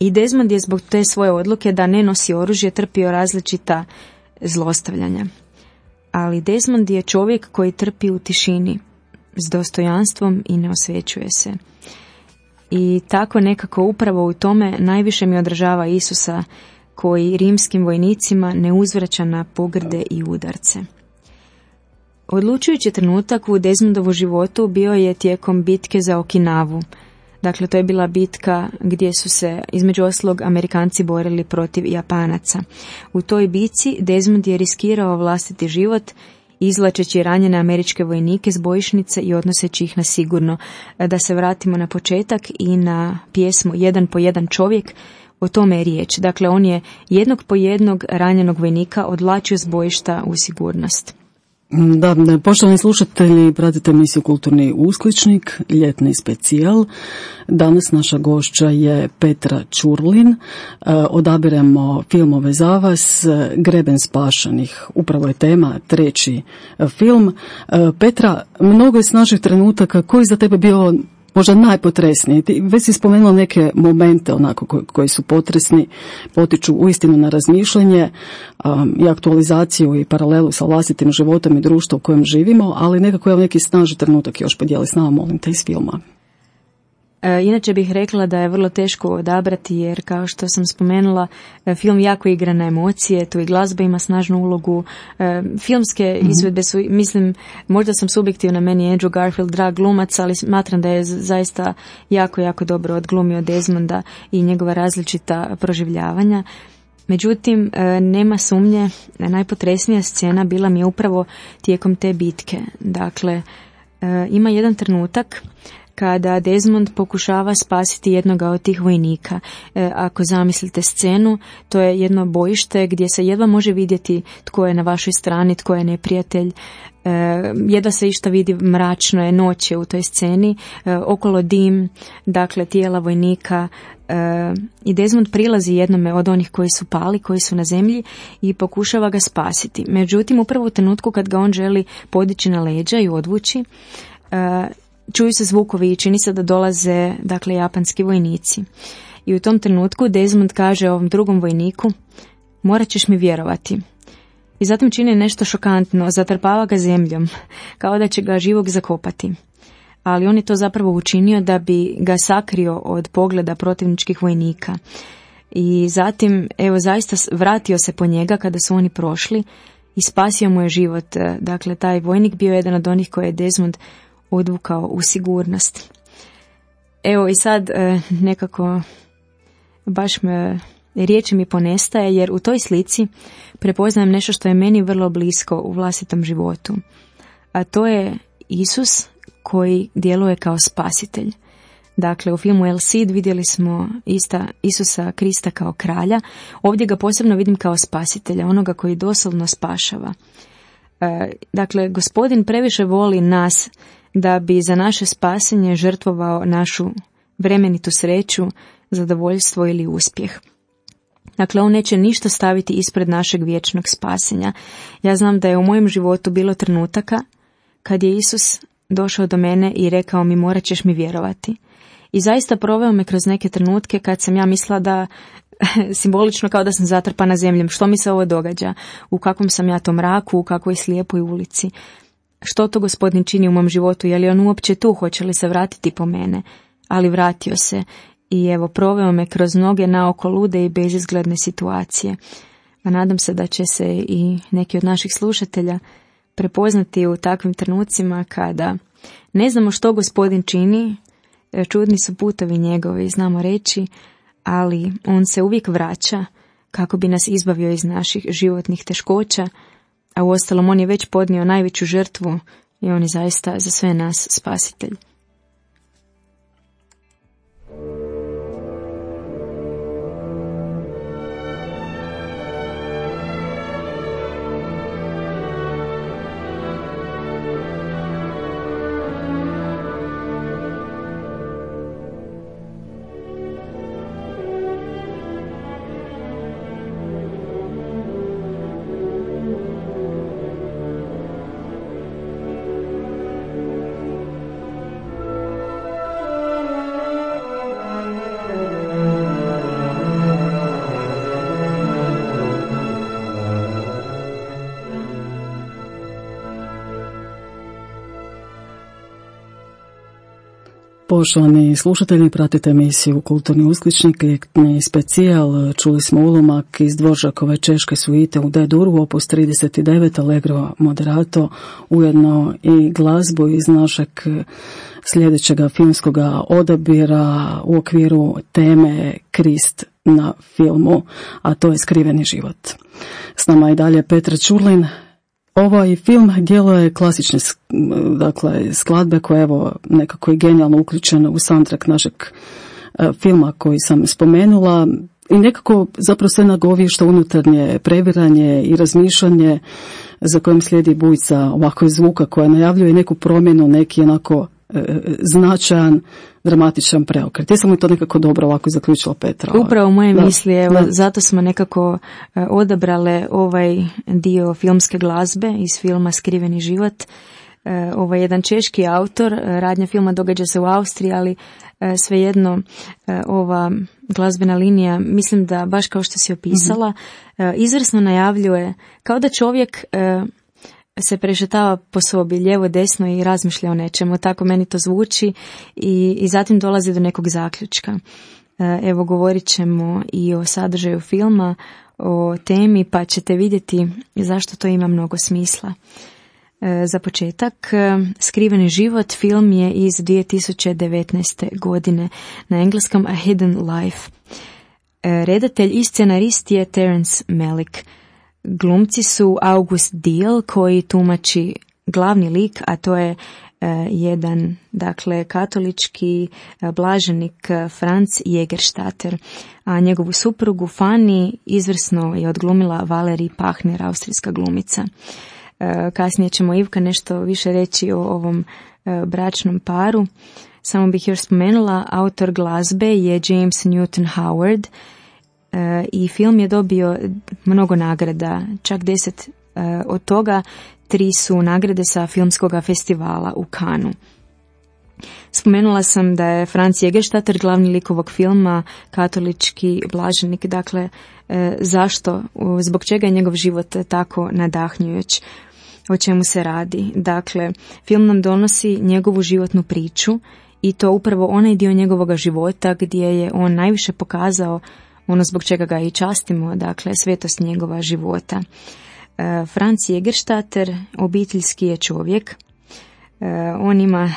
I Desmond je zbog te svoje odluke da ne nosi oružje trpio različita zlostavljanja. Ali Desmond je čovjek koji trpi u tišini, s dostojanstvom i ne osvećuje se. I tako nekako upravo u tome najviše mi odražava Isusa, koji rimskim vojnicima ne uzvraća na pogrde i udarce. Odlučujući trenutak u Desmondovu životu bio je tijekom bitke za Okinavu. Dakle, to je bila bitka gdje su se, između ostalog, Amerikanci borili protiv Japanaca. U toj bitci Desmond je riskirao vlastiti život, izvlačeći ranjene američke vojnike s bojišnice i odnoseći ih na sigurno. Da se vratimo na početak i na pjesmu Jedan po jedan čovjek, o tome je riječ. Dakle, on je jednog po jednog ranjenog vojnika odvlačio s bojišta u sigurnost. Da, poštovani slušatelji, pratite emisiju Kulturni uskličnik, ljetni specijal. Danas naša gošća je Petra Ćurlin. Odabiremo filmove za vas, Greben spašenih. Upravo je tema, treći film. Petra, mnogo je snažnih trenutaka. Koji za tebe bio možda najpotresniji? Ti već si spomenula neke momente onako koji su potresni, potiču uistinu na razmišljanje i aktualizaciju i paralelu sa vlastitim životom i društvom u kojem živimo, ali nekako je neki snažni trenutak još podijeli s nama, molim te, iz filma. Inače bih rekla da je vrlo teško odabrati, jer kao što sam spomenula, film jako igra na emocije, tu i glazba ima snažnu ulogu. Filmske izvedbe su, mislim, možda sam subjektivna, meni je Andrew Garfield drag glumac, ali smatram da je zaista jako, jako dobro odglumio Desmonda i njegova različita proživljavanja. Međutim, nema sumnje, najpotresnija scena bila mi je upravo tijekom te bitke. Dakle, ima jedan trenutak kada Desmond pokušava spasiti jednoga od tih vojnika. Ako zamislite scenu, to je jedno bojište gdje se jedva može vidjeti tko je na vašoj strani, tko je neprijatelj. Jedva se išta vidi, mračno je, noć je u toj sceni, okolo dim, dakle tijela vojnika, i Desmond prilazi jednome od onih koji su pali, koji su na zemlji, i pokušava ga spasiti. Međutim, upravo u trenutku kad ga on želi podići na leđa i odvući, čuju se zvukovi i čini se da dolaze, dakle, japanski vojnici. I u tom trenutku Desmond kaže ovom drugom vojniku: morat ćeš mi vjerovati. i zatim čini nešto šokantno, zatrpava ga zemljom, kao da će ga živog zakopati. Ali on je to zapravo učinio da bi ga sakrio od pogleda protivničkih vojnika. I zatim, evo, zaista vratio se po njega kada su oni prošli i spasio mu je život. Dakle, taj vojnik bio jedan od onih koje je Desmond odvukao u sigurnost. Evo i sad nekako baš riječi mi ponestaje, jer u toj slici prepoznajem nešto što je meni vrlo blisko u vlastitom životu. A to je Isus koji djeluje kao spasitelj. Dakle, u filmu El Cid vidjeli smo Isusa Krista kao kralja. Ovdje ga posebno vidim kao spasitelja, onoga koji doslovno spašava. Dakle, Gospodin previše voli nas da bi za naše spasenje žrtvovao našu vremenitu sreću, zadovoljstvo ili uspjeh. Dakle, on neće ništa staviti ispred našeg vječnog spasenja. Ja znam da je u mojem životu bilo trenutaka kad je Isus došao do mene i rekao mi, morat ćeš mi vjerovati. I zaista proveo me kroz neke trenutke kad sam ja mislila da, simbolično kao da sam zatrpana zemljom, što mi se ovo događa, u kakvom sam ja to mraku, u kakvoj slijepoj ulici. Što to Gospodin čini u mom životu, je li on uopće tu, hoće li se vratiti po mene? Ali vratio se i evo proveo me kroz mnoge naoko lude i bezizgledne situacije. A nadam se da će se i neki od naših slušatelja prepoznati u takvim trenucima kada ne znamo što Gospodin čini, čudni su putovi njegovi, znamo reći, ali on se uvijek vraća kako bi nas izbavio iz naših životnih teškoća, a uostalom on je već podnio najveću žrtvu i on je zaista za sve nas spasitelj. Poštovani slušatelji, pratite emisiju Kulturni uskličnik, ljetni specijal. Čuli smo ulomak iz Dvoržakove češke suite u D-duru, opus 39, Allegro moderato, ujedno i glazbu iz našeg sljedećeg filmskog odabira u okviru teme Krist na filmu, a to je Skriveni život. S nama je dalje Petra Ćurlin. Ovaj film djeluje klasične skladbe koje evo nekako je genijalno uključeno u soundtrack našeg filma koji sam spomenula i nekako zapravo sve nagovješta unutarnje previranje i razmišljanje za kojim slijedi bujica ovakvog zvuka koja najavljuje neku promjenu, neki onako značajan, dramatičan preokret. Jesam li to nekako dobro ovako zaključila, Petra? Upravo moje misli, evo, zato smo nekako odabrale ovaj dio filmske glazbe iz filma Skriveni život. Ovo je jedan češki autor, radnja filma događa se u Austriji, ali svejedno ova glazbena linija, mislim da baš kao što si opisala, izvrsno najavljuje, kao da čovjek se prešetava po sobi lijevo desno i razmišlja o nečemu, tako meni to zvuči i zatim dolazi do nekog zaključka. Evo, govorit ćemo i o sadržaju filma, o temi, pa ćete vidjeti zašto to ima mnogo smisla. Za početak, Skriveni život film je iz 2019. godine, na engleskom A Hidden Life. Redatelj i scenarist je Terence Malick. Glumci su August Diehl koji tumači glavni lik, a to je jedan, dakle, katolički blaženik Franz Jägerstatter, a njegovu suprugu Fanny izvrsno je odglumila Valerie Pachner, austrijska glumica. Kasnije ćemo Ivka nešto više reći o ovom bračnom paru. Samo bih još spomenula, autor glazbe je James Newton Howard i film je dobio mnogo nagrada, čak 10 od toga 3 su nagrade sa filmskog festivala u Cannesu. Spomenula sam da je Franz Jägerstätter glavni lik ovog filma, katolički blaženik. Dakle, zašto, zbog čega je njegov život tako nadahnjujuć? O čemu se radi? Dakle, film nam donosi njegovu životnu priču i to upravo onaj dio njegovog života gdje je on najviše pokazao ono zbog čega ga i častimo, dakle, svetost njegova života. Franz Jägerstätter obiteljski je čovjek. On ima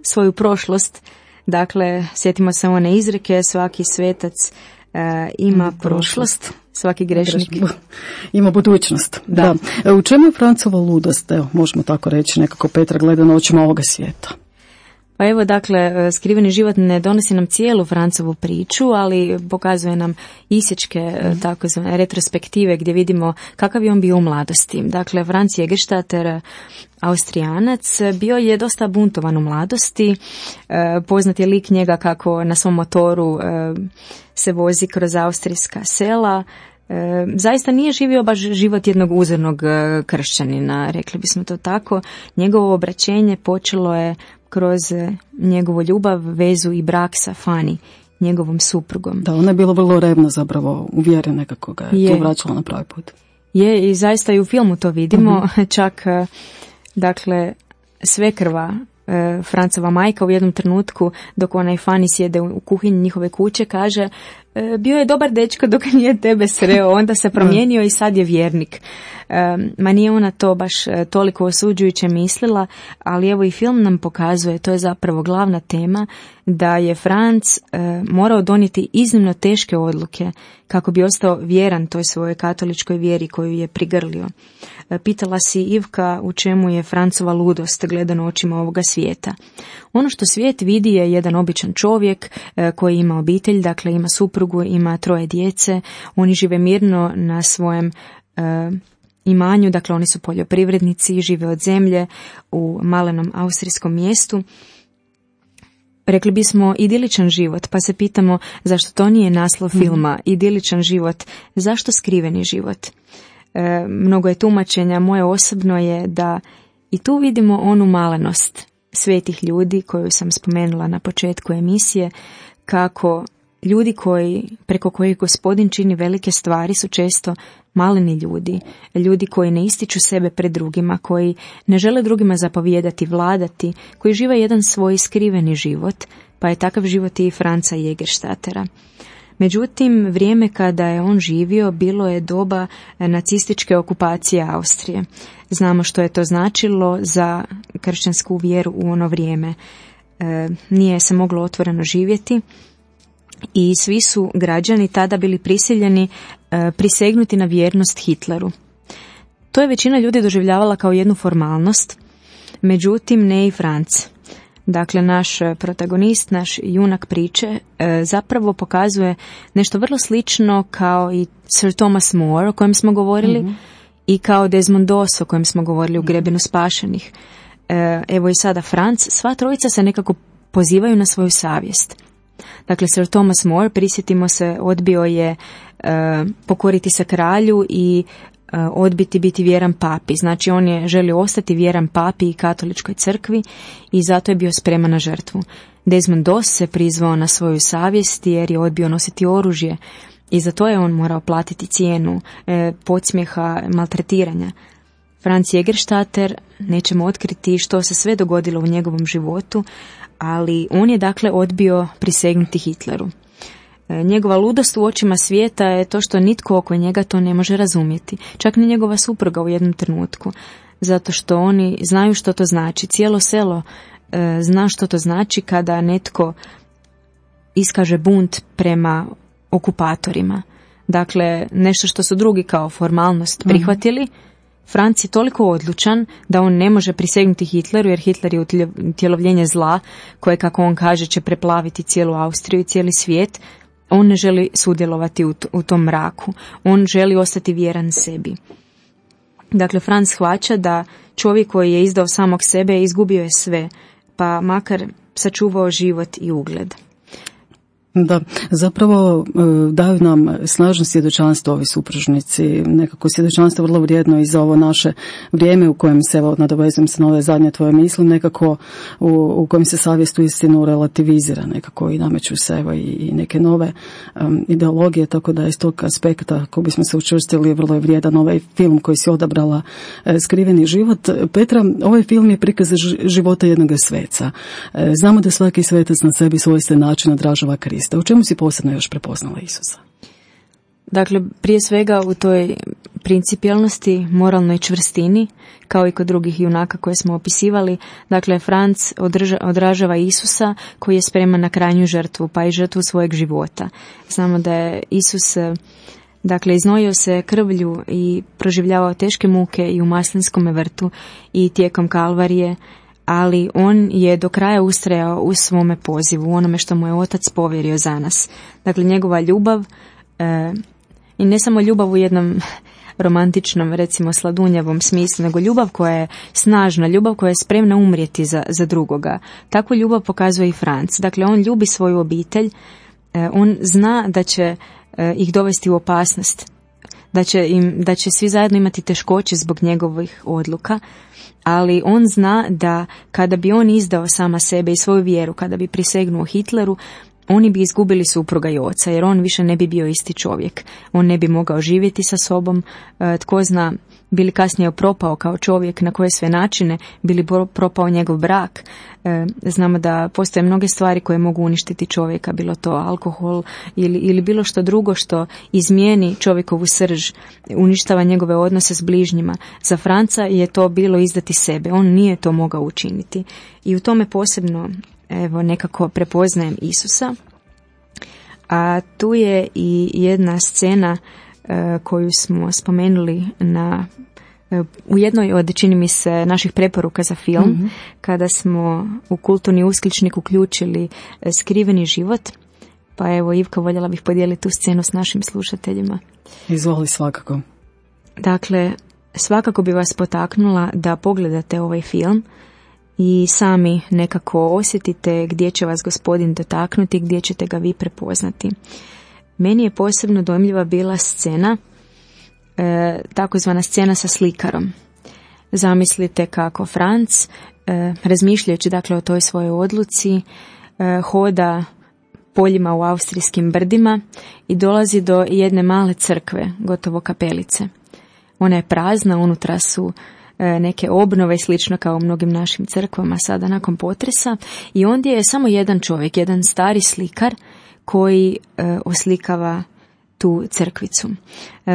svoju prošlost, dakle, sjetimo se one izreke, svaki svetac ima prošlost, svaki grešnik ima budućnost. Da. U čemu je Francova ludost? Evo, možemo tako reći, nekako Petra gleda na očima ovoga svijeta. Pa evo, dakle, skriveni život ne donosi nam cijelu Francovu priču, ali pokazuje nam isječke, takozvane retrospektive, gdje vidimo kakav je on bio u mladosti. Dakle, Franz Jägerstätter, Austrijanac, bio je dosta buntovan u mladosti. Poznat je lik njega kako na svom motoru se vozi kroz austrijska sela. Zaista nije živio baš život jednog uzornog kršćanina, rekli bismo to tako. Njegovo obraćenje počelo je kroz njegovu ljubav, vezu i brak sa Fanny, njegovom suprugom. Da, ona je bila vrlo revna, zapravo uvjerena kako ga je tu vraćala na pravi put. Je, i zaista i u filmu to vidimo. Čak, dakle, svekrva Francova majka u jednom trenutku, dok onaj Fanny sjede u kuhinji njihove kuće, kaže: bio je dobar dečko dok nije tebe sreo, onda se promijenio i sad je vjernik. Ma nije ona to baš toliko osuđujuće mislila, ali evo i film nam pokazuje, to je zapravo glavna tema, da je Franz morao donijeti iznimno teške odluke kako bi ostao vjeran toj svojoj katoličkoj vjeri koju je prigrlio. Pitala si, Ivka, u čemu je Francova ludost gledano očima ovoga svijeta. Ono što svijet vidi je jedan običan čovjek koji ima obitelj, dakle ima suprugu, ima 3 djece, oni žive mirno na svojem imanju, dakle oni su poljoprivrednici, žive od zemlje u malenom austrijskom mjestu. Rekli bismo idiličan život, pa se pitamo zašto to nije naslov filma, idiličan život, zašto skriveni život? Mnogo je tumačenja, moje osobno je da i tu vidimo onu malenost svetih ljudi koju sam spomenula na početku emisije, kako ljudi preko kojih Gospodin čini velike stvari su često maleni ljudi, ljudi koji ne ističu sebe pred drugima, koji ne žele drugima zapovijedati, vladati, koji žive jedan svoj skriveni život, pa je takav život i Franza Jägerstättera. Međutim, vrijeme kada je on živio bilo je doba nacističke okupacije Austrije. Znamo što je to značilo za kršćansku vjeru u ono vrijeme. Nije se moglo otvoreno živjeti i svi su građani tada bili prisiljeni prisegnuti na vjernost Hitleru. To je većina ljudi doživljavala kao jednu formalnost, međutim ne i Franz. Dakle, naš protagonist, naš junak priče zapravo pokazuje nešto vrlo slično kao i Sir Thomas More o kojem smo govorili i kao Desmond Doss o kojem smo govorili u Grebenu spašenih. Evo i sada Franz, sva trojica se nekako pozivaju na svoju savjest. Dakle, Sir Thomas More, prisjetimo se, odbio je pokoriti se kralju i odbiti biti vjeran papi. Znači, on je želio ostati vjeran papi i katoličkoj crkvi i zato je bio spreman na žrtvu. Desmond Doss se prizvao na svoju savjest jer je odbio nositi oružje i za to je on morao platiti cijenu podsmjeha, maltretiranja. Franz Jägerstätter, nećemo otkriti što se sve dogodilo u njegovom životu, ali on je dakle odbio prisegnuti Hitleru. Njegova ludost u očima svijeta je to što nitko oko njega to ne može razumjeti, čak ni njegova supruga u jednom trenutku, zato što oni znaju što to znači. Cijelo selo zna što to znači kada netko iskaže bunt prema okupatorima. Dakle, nešto što su drugi kao formalnost prihvatili, Franc je toliko odlučan da on ne može prisegnuti Hitleru, jer Hitler je utjelovljenje zla koje, kako on kaže, će preplaviti cijelu Austriju i cijeli svijet. On ne želi sudjelovati u tom mraku. On želi ostati vjeran sebi. Dakle, Franz shvaća da čovjek koji je izdao samog sebe izgubio je sve, pa makar sačuvao život i ugled. Da, zapravo daju nam snažno svjedočanstvo ovi supružnici, nekako svjedočanstvo vrlo vrijedno i za ovo naše vrijeme u kojem se, evo, nadovezujem se na ove zadnje tvoje misli, nekako u kojem se savjest uistinu relativizira, nekako i nameću se, evo, i neke nove ideologije, tako da iz tog aspekta, ako bismo se učvrstili, vrlo je vrijedan ovaj film koji si odabrala, Skriveni život. Petra, ovaj film je prikaz života jednog sveca. Znamo da svaki svetac na sebi svojstven način odražava Krista. U čemu si posebno još prepoznala Isusa? Dakle, prije svega u toj principijelnosti, moralnoj čvrstini, kao i kod drugih junaka koje smo opisivali. Dakle, Franc odražava Isusa koji je spreman na krajnju žrtvu, pa i žrtvu svojeg života. Znamo da je Isus, dakle, iznojio se krvlju i proživljavao teške muke i u Maslinskome vrtu i tijekom Kalvarije, ali on je do kraja ustrajao u svome pozivu, u onome što mu je Otac povjerio za nas. Dakle, njegova ljubav, i ne samo ljubav u jednom romantičnom, recimo sladunjavom smislu, nego ljubav koja je snažna, ljubav koja je spremna umrijeti za drugoga. Takvu ljubav pokazuje i Franc. Dakle, on ljubi svoju obitelj, on zna da će ih dovesti u opasnost, da će svi zajedno imati teškoće zbog njegovih odluka, ali on zna da kada bi on izdao sama sebe i svoju vjeru, kada bi prisegnuo Hitleru, oni bi izgubili supruga i oca, jer on više ne bi bio isti čovjek. On ne bi mogao živjeti sa sobom, tko zna, bili kasnije propao kao čovjek, na koje sve načine, bili propao njegov brak. Znamo da postoje mnoge stvari koje mogu uništiti čovjeka, bilo to alkohol ili bilo što drugo što izmijeni čovjekovu srž, uništava njegove odnose s bližnjima. Za Franca je to bilo izdati sebe, on nije to mogao učiniti. I u tome posebno, evo, nekako prepoznajem Isusa. A tu je i jedna scena koju smo spomenuli u jednoj od, čini mi se, naših preporuka za film, kada smo u Kulturni uskličnik uključili Skriveni život. Pa evo, Ivka, voljela bih podijeliti tu scenu s našim slušateljima. Izvoli, svakako. Dakle, svakako bi vas potaknula da pogledate ovaj film i sami nekako osjetite gdje će vas Gospodin dotaknuti, gdje ćete ga vi prepoznati. Meni je posebno dojmljiva bila scena, takozvana scena sa slikarom. Zamislite kako Franc, razmišljajući dakle o toj svojoj odluci, hoda poljima u austrijskim brdima i dolazi do jedne male crkve, gotovo kapelice. Ona je prazna, unutra su neke obnove, slično kao u mnogim našim crkvama sada nakon potresa, i ondje je samo jedan čovjek, jedan stari slikar koji oslikava tu crkvicu.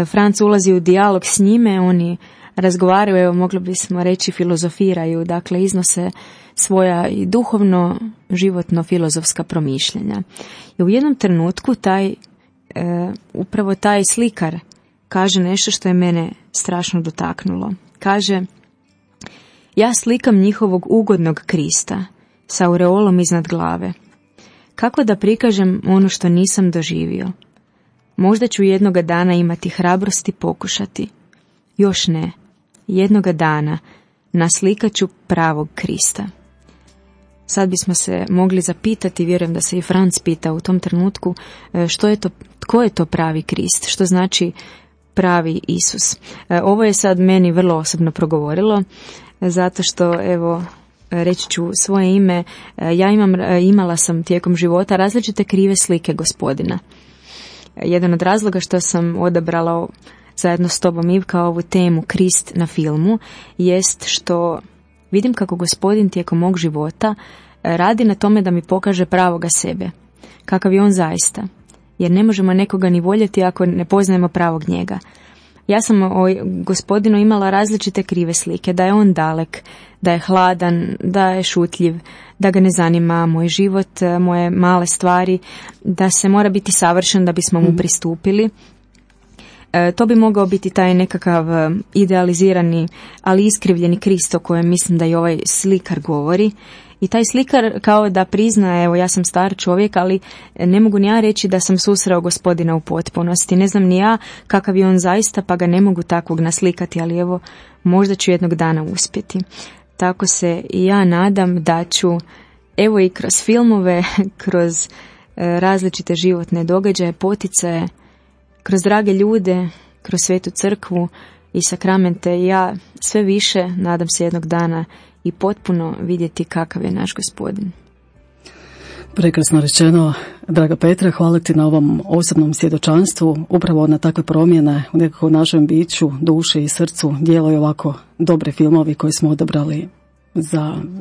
Franc ulazi u dijalog s njime, oni razgovaraju, evo, mogli bismo reći filozofiraju, dakle iznose svoja i duhovno, životno, filozofska promišljanja. I u jednom trenutku upravo taj slikar kaže nešto što je mene strašno dotaknulo. Kaže: ja slikam njihovog ugodnog Krista sa aureolom iznad glave. Kako da prikažem ono što nisam doživio? Možda ću jednoga dana imati hrabrosti pokušati. Još ne. Jednoga dana naslikat ću pravog Krista. Sad bismo se mogli zapitati, vjerujem da se i Franc pita u tom trenutku, što je to, tko je to pravi Krist? Što znači pravi Isus? Ovo je sad meni vrlo osobno progovorilo, zato što, evo, reći ću svoje ime, imala sam tijekom života različite krive slike Gospodina. Jedan od razloga što sam odabrala zajedno s tobom, Ivka, ovu temu Krist na filmu, jest što vidim kako Gospodin tijekom mog života radi na tome da mi pokaže pravoga sebe, kakav je on zaista. Jer ne možemo nekoga ni voljeti ako ne poznajemo pravog njega. Ja sam o Gospodinu imala različite krive slike, da je on dalek, da je hladan, da je šutljiv, da ga ne zanima moj život, moje male stvari, da se mora biti savršen da bismo mu pristupili. To bi mogao biti taj nekakav idealizirani, ali iskrivljeni Krist o kojem mislim da i ovaj slikar govori. I taj slikar kao da prizna, evo, ja sam star čovjek, ali ne mogu ni ja reći da sam susreo Gospodina u potpunosti. Ne znam ni ja kakav je on zaista, pa ga ne mogu takvog naslikati, ali evo, možda ću jednog dana uspjeti. Tako se i ja nadam da ću, evo, i kroz filmove, kroz različite životne događaje, poticaje, kroz drage ljude, kroz svetu crkvu i sakramente. Ja sve više, nadam se jednog dana i potpuno vidjeti kakav je naš Gospodin. Prekrasno rečeno, draga Petra, hvala ti na ovom osobnom svjedočanstvu. Upravo na takve promjene u nekako našem biću, duši i srcu djeluju ovako dobri filmovi koje smo odabrali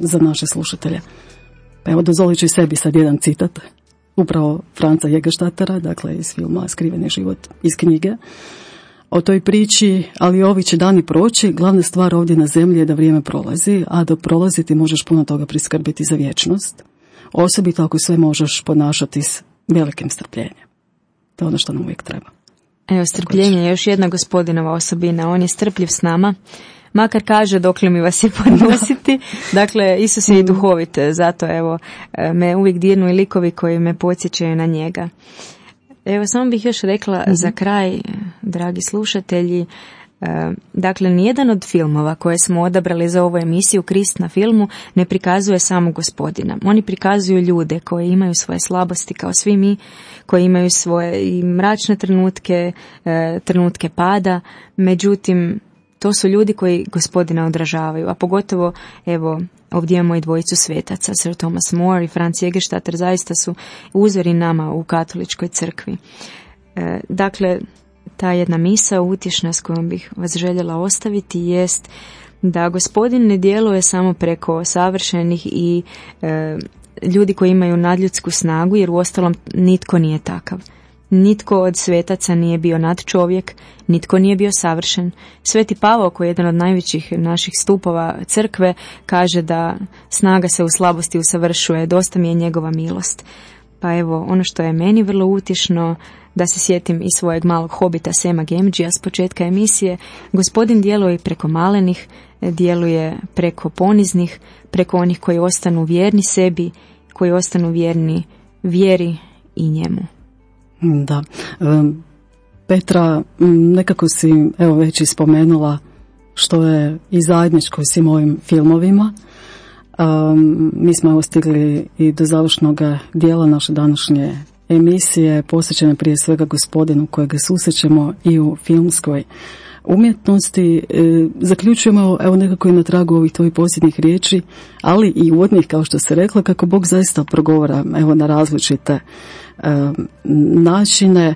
za naše slušatelje. Evo, dozvolit ću i sebi sad jedan citat. Upravo Franca Jägerstättera, dakle iz filma Skriveni život iz knjige. O toj priči, ali ovi će dani proći, glavna stvar ovdje na zemlji je da vrijeme prolazi, a dok prolazi ti možeš puno toga priskrbiti za vječnost. Osobito ako sve možeš ponašati s velikim strpljenjem. To je ono što nam uvijek treba. Evo, strpljenje je još jedna Gospodinova osobina. On je strpljiv s nama, makar kaže dokle mi vas je podnositi. Dakle, Isus je i duhovit, zato evo, me uvijek dirnu i likovi koji me podsjećaju na njega. Evo, samo bih još rekla za kraj, dragi slušatelji, dakle, nijedan od filmova koje smo odabrali za ovu emisiju Krist na filmu ne prikazuje samo Gospodina. Oni prikazuju ljude koji imaju svoje slabosti kao svi mi, koji imaju svoje i mračne trenutke, trenutke pada, međutim, to su ljudi koji Gospodina odražavaju, a pogotovo, evo, ovdje imamo i dvojicu svetaca, Sir Thomas More i Franz Jägerstätter, zaista su uzori nama u katoličkoj crkvi. Dakle, ta jedna misao utješna s kojom bih vas željela ostaviti jest da Gospodin ne djeluje samo preko savršenih i ljudi koji imaju nadljudsku snagu, jer uostalom nitko nije takav. Nitko od svetaca nije bio nadčovjek, nitko nije bio savršen. Sveti Pavao, koji je jedan od najvećih naših stupova crkve, kaže da snaga se u slabosti usavršuje, dosta mi je njegova milost. Pa evo, ono što je meni vrlo utješno, da se sjetim i svojeg malog hobita Sema Gemđija s početka emisije, Gospodin djeluje preko malenih, djeluje preko poniznih, preko onih koji ostanu vjerni sebi, koji ostanu vjerni vjeri i njemu. Da. Petra, nekako si evo već i spomenula što je i zajedničko svim ovim filmovima. Mi smo evo stigli i do završnog dijela naše današnje emisije, posvećene prije svega Gospodinu kojega susrećemo i u filmskoj umjetnosti. Zaključujemo evo nekako i na tragu ovih tvojih posljednjih riječi, ali i uvodnih, kao što se rekla, kako Bog zaista progovara evo na različite načine.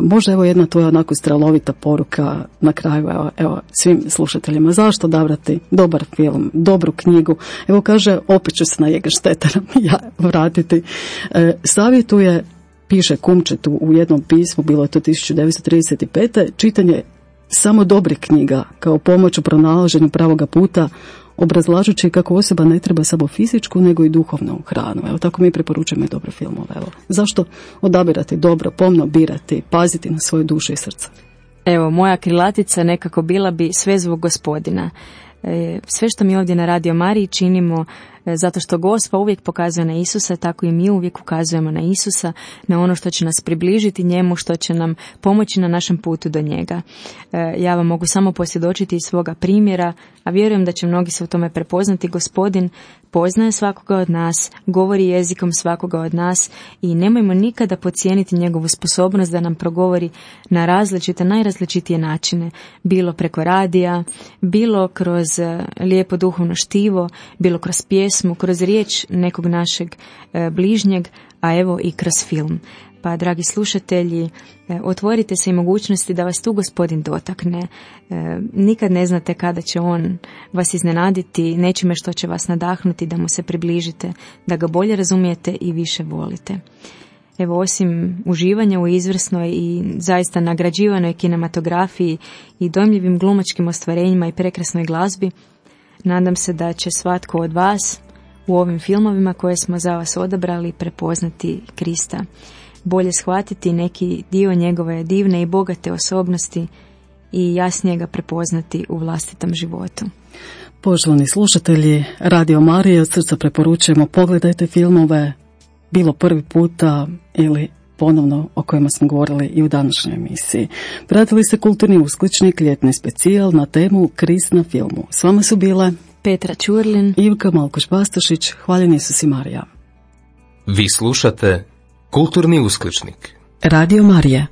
Možda evo jedna tvoja onako strelovita poruka na kraju evo svim slušateljima. Zašto odabrati dobar film, dobru knjigu? Evo kaže, opet ću se na Jägerstättera ja vratiti. Savjetuje, piše Kumčetu u jednom pismu, bilo je to 1935. čitanje samo dobrih knjiga kao pomoć u pronalaženju pravoga puta, obrazlažući kako osoba ne treba samo fizičku nego i duhovnu hranu. Evo tako mi preporučujemo i dobre filmove. Evo. Zašto odabirati dobro, pomno birati, paziti na svoju dušu i srce? Evo, moja krilatica nekako bila bi sve zbog Gospodina. Sve što mi ovdje na Radio Mariji činimo zato što Gospa uvijek pokazuje na Isusa, tako i mi uvijek ukazujemo na Isusa, na ono što će nas približiti njemu, što će nam pomoći na našem putu do njega. Ja vam mogu samo posvjedočiti iz svoga primjera, a vjerujem da će mnogi se u tome prepoznati. Gospodin poznaje svakoga od nas, govori jezikom svakoga od nas i nemojmo nikada podcijeniti njegovu sposobnost da nam progovori na različite, najrazličitije načine, bilo preko radija, bilo kroz lijepo duhovno štivo, bilo kroz pjesmu, kroz riječ nekog našeg bližnjeg, a evo i kroz film. Pa, dragi slušatelji, otvorite se i mogućnosti da vas tu Gospodin dotakne. Nikad ne znate kada će on vas iznenaditi, nečime što će vas nadahnuti da mu se približite, da ga bolje razumijete i više volite. Evo, osim uživanja u izvrsnoj i zaista nagrađivanoj kinematografiji i dojmljivim glumačkim ostvarenjima i prekrasnoj glazbi, nadam se da će svatko od vas u ovim filmovima koje smo za vas odabrali prepoznati Krista, bolje shvatiti neki dio njegove divne i bogate osobnosti i jasnije ga prepoznati u vlastitom životu. Poštovani slušatelji Radio Marije, od srca preporučujemo, pogledajte filmove, bilo prvi puta ili ponovno o kojima smo govorili i u današnjoj emisiji. Pratili ste Kulturni uskličnik, ljetni specijal na temu Krist na filmu. S vama su bile Petra Ćurlin, Ivka Malkoš-Bastašić. Hvaljeni Isus i Marija. Vi slušate Kulturni uskličnik. Radio Marija.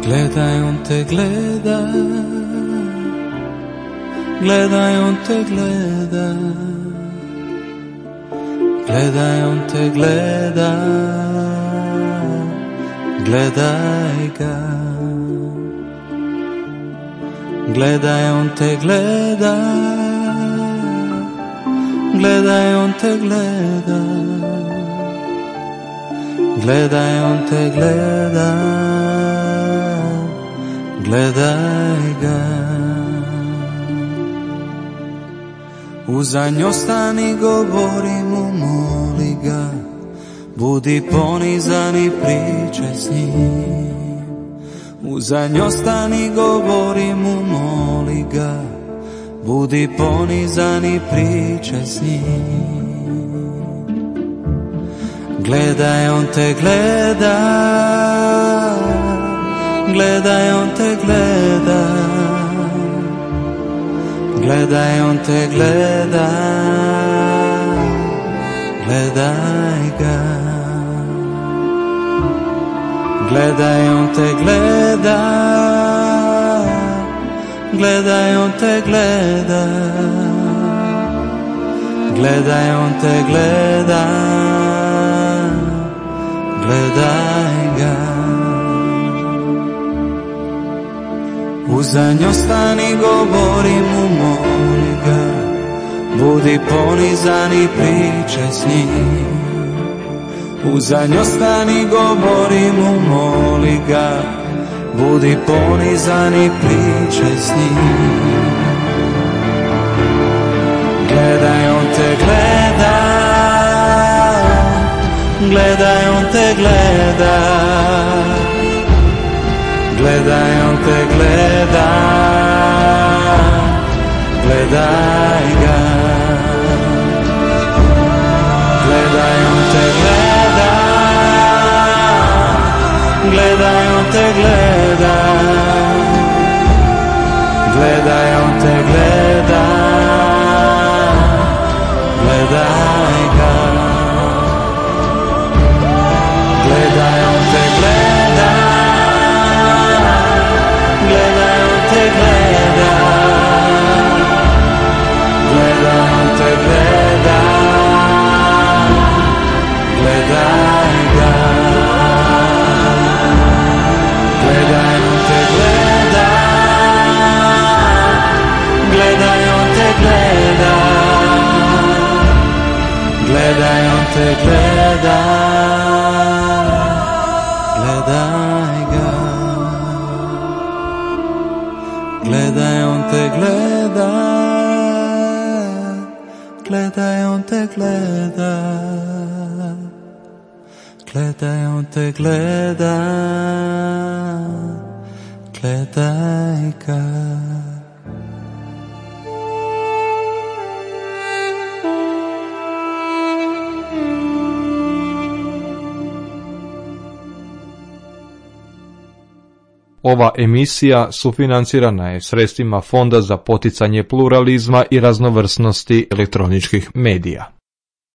Gledaj, on te gleda, gledaj, on te gleda, gledaj, on te gleda, gledaj ga. Gledaj, on te gleda, gledaj, on te gleda, gledaj, on te gleda, gledaj ga. Uzanj ostani, govori mu, moli ga, budi ponizan i pričaj s njim. Uzanj ostani, govori mu, moli ga, budi ponizan i pričaj s njim. Gledaj, on te gleda, gledaj, on te gleda, gledaj, on te gleda, gledaj ga. Gledaj, on te gleda, gledaj, on te gleda, gledaj, on te gleda, gledaj ga. Uzanj ostani, govori mu, moli ga, budi ponizan i pričaj s njim. Uzanj ostani, govori mu, moli ga, budi ponizan i pričaj s njim. Gledaj, on te gleda, gledaj, on te gleda, gledaj, on te gleda, gledaj ga. Gledaj, on te gleda, gledaj, on te gleda, gledaj, on te gleda, gledaj ga. Gledaj, on te gleda, gledaj, on te gleda, gledaj, on te gleda, gledaj ga. Gledaj, on te gleda, gledaj, on te gleda, gledaj, on te gleda, gledaj ga. Gledaj, on te gleda, gledaj, on te gleda, gledaj, on te gleda, gledaj ga. Ova emisija sufinancirana je sredstvima Fonda za poticanje pluralizma i raznovrsnosti elektroničkih medija.